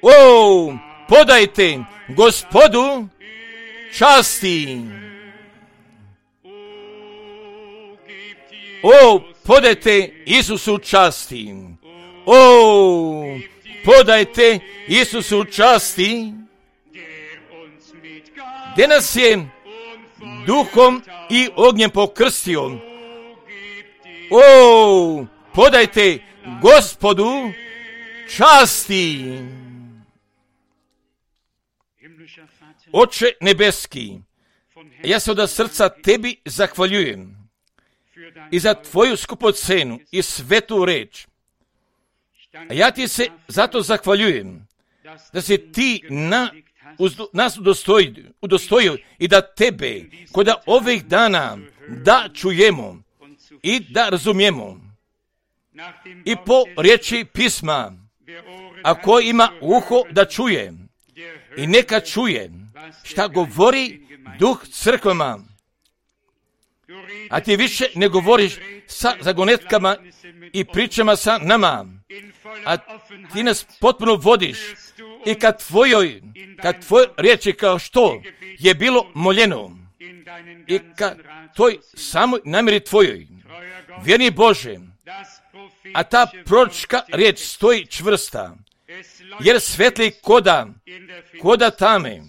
O, podajte Gospodu časti. O, podajte Isusu časti. O, podajte Isusu časti, gdje nas je duhom i ognjem pokrstio. O, podajte Gospodu časti. Oče nebeski, ja se od srca tebi zahvaljujem i za tvoju skupocenu i svetu reč. A ja ti se zato zahvaljujem da si ti nas udostojio i da tebe kod ovih dana da čujemo i da razumijemo. I po riječi pisma, ako ima uho da čuje, i neka čuje šta govori duh crkvama. A ti više ne govoriš sa zagonetkama i pričama sa nama, a ti nas potpuno vodiš i kad tvojoj riječi kao što je bilo moljeno i ka toj samoj namjeri tvojoj, vjerni Bože, a ta proročka riječ stoji čvrsta, jer svetli koda tame.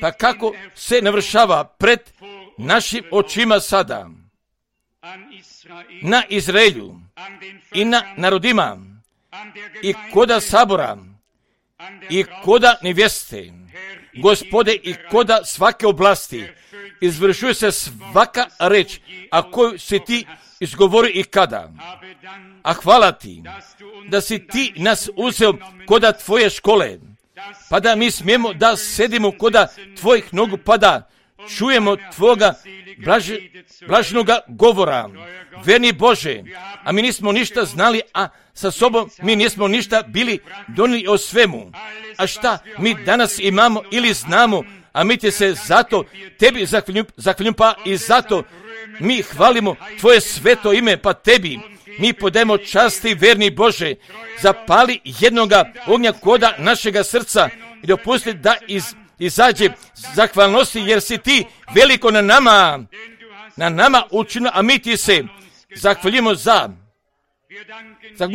Pa kako se navršava pred našim očima sada, na Izraelju i na narodima i koda sabora i koda nevjeste, Gospode, i koda svake oblasti, izvršuje se svaka reč, a koju si ti izgovori i kada. A hvala ti da si ti nas uzeo koda tvoje škole, pa da mi smijemo da sedimo koda tvojih nogu, pa da čujemo tvoga blaženoga govora. Verni Bože, a mi nismo ništa znali, a sa sobom mi nismo ništa bili donijeli o svemu. A šta mi danas imamo ili znamo, a mi ti se zato tebi zahvaljujem, pa i zato mi hvalimo tvoje sveto ime, pa tebi mi podajemo časti, verni Bože. Zapali jednoga ognja koda našega srca i dopusti da izađe zahvalnosti, jer si ti veliko na nama učinio, a mi ti se zahvaljujemo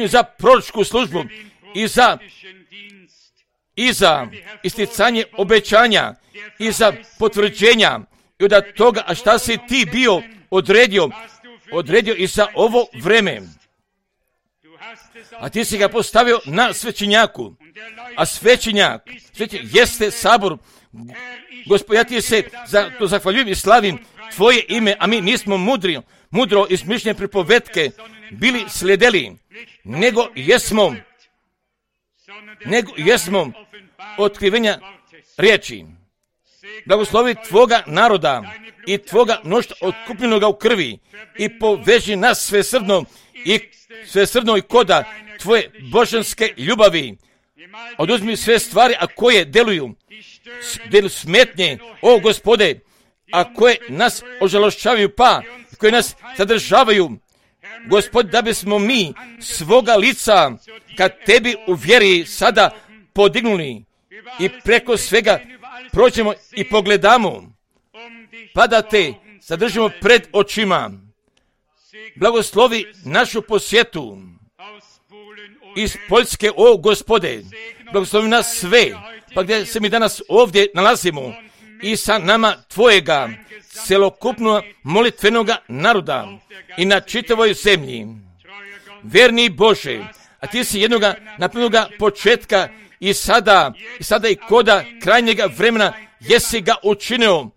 za proročku službu i za isticanje obećanja i za potvrđenja i od toga, a šta si ti bio odredio i za ovo vreme. A ti si ga postavio na svećenjaku, a svećenjak jeste sabor. Gospod, ja ti se za to zahvaljujem i slavim tvoje ime, a mi nismo mudro izmišljene pripovetke bili slijedili, nego jesmo otkrivenja riječi. Blagoslovi tvoga naroda i tvoga mnoštva otkupljenoga u krvi i poveži nas svesrdno i koda tvoje božanske ljubavi. Oduzmi sve stvari, a koje deluju smetnje, o Gospode, a koje nas ožalošćavaju, pa koje nas sadržavaju, Gospod, da bismo mi svoga lica kad tebi u vjeri sada podignuli i preko svega prođemo i pogledamo, pa da te zadržimo pred očima. Blagoslovi našu posjetu iz Poljske, o Gospode, blagoslovi nas sve, pa gdje se mi danas ovdje nalazimo i sa nama tvojega celokupnog molitvenoga naroda i na čitavoj zemlji. Verni Bože, a ti si jednoga napravljenoga početka i sada i koda krajnjega vremena jesi ga učinio,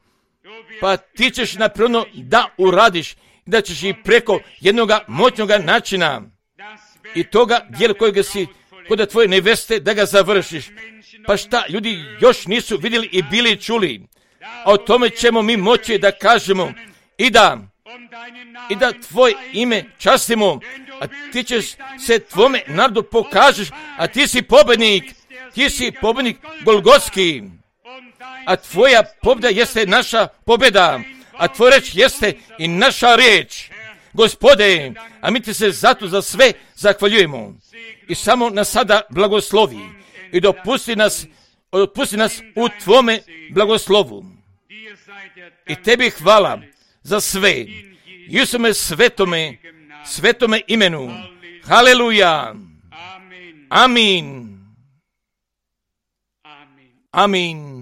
pa ti ćeš napravljeno da uradiš i da ćeš i preko jednoga moćnoga načina i toga dijela kojega si koda tvoje neveste da ga završiš. Pa šta ljudi još nisu vidjeli i bili čuli, a o tome ćemo mi moći da kažemo i da tvoje ime častimo, a ti ćeš se tvome narodu pokažeš, a ti si pobednik Golgotski, a tvoja pobjeda jeste naša pobjeda, a tvoja reč jeste i naša riječ. Gospode, a mi ti se zato za sve zahvaljujemo i samo nas sada blagoslovi i dopusti nas u tvome blagoslovu. I tebi hvala za sve Isume svetome imenu. Haleluja. Amin. Amin.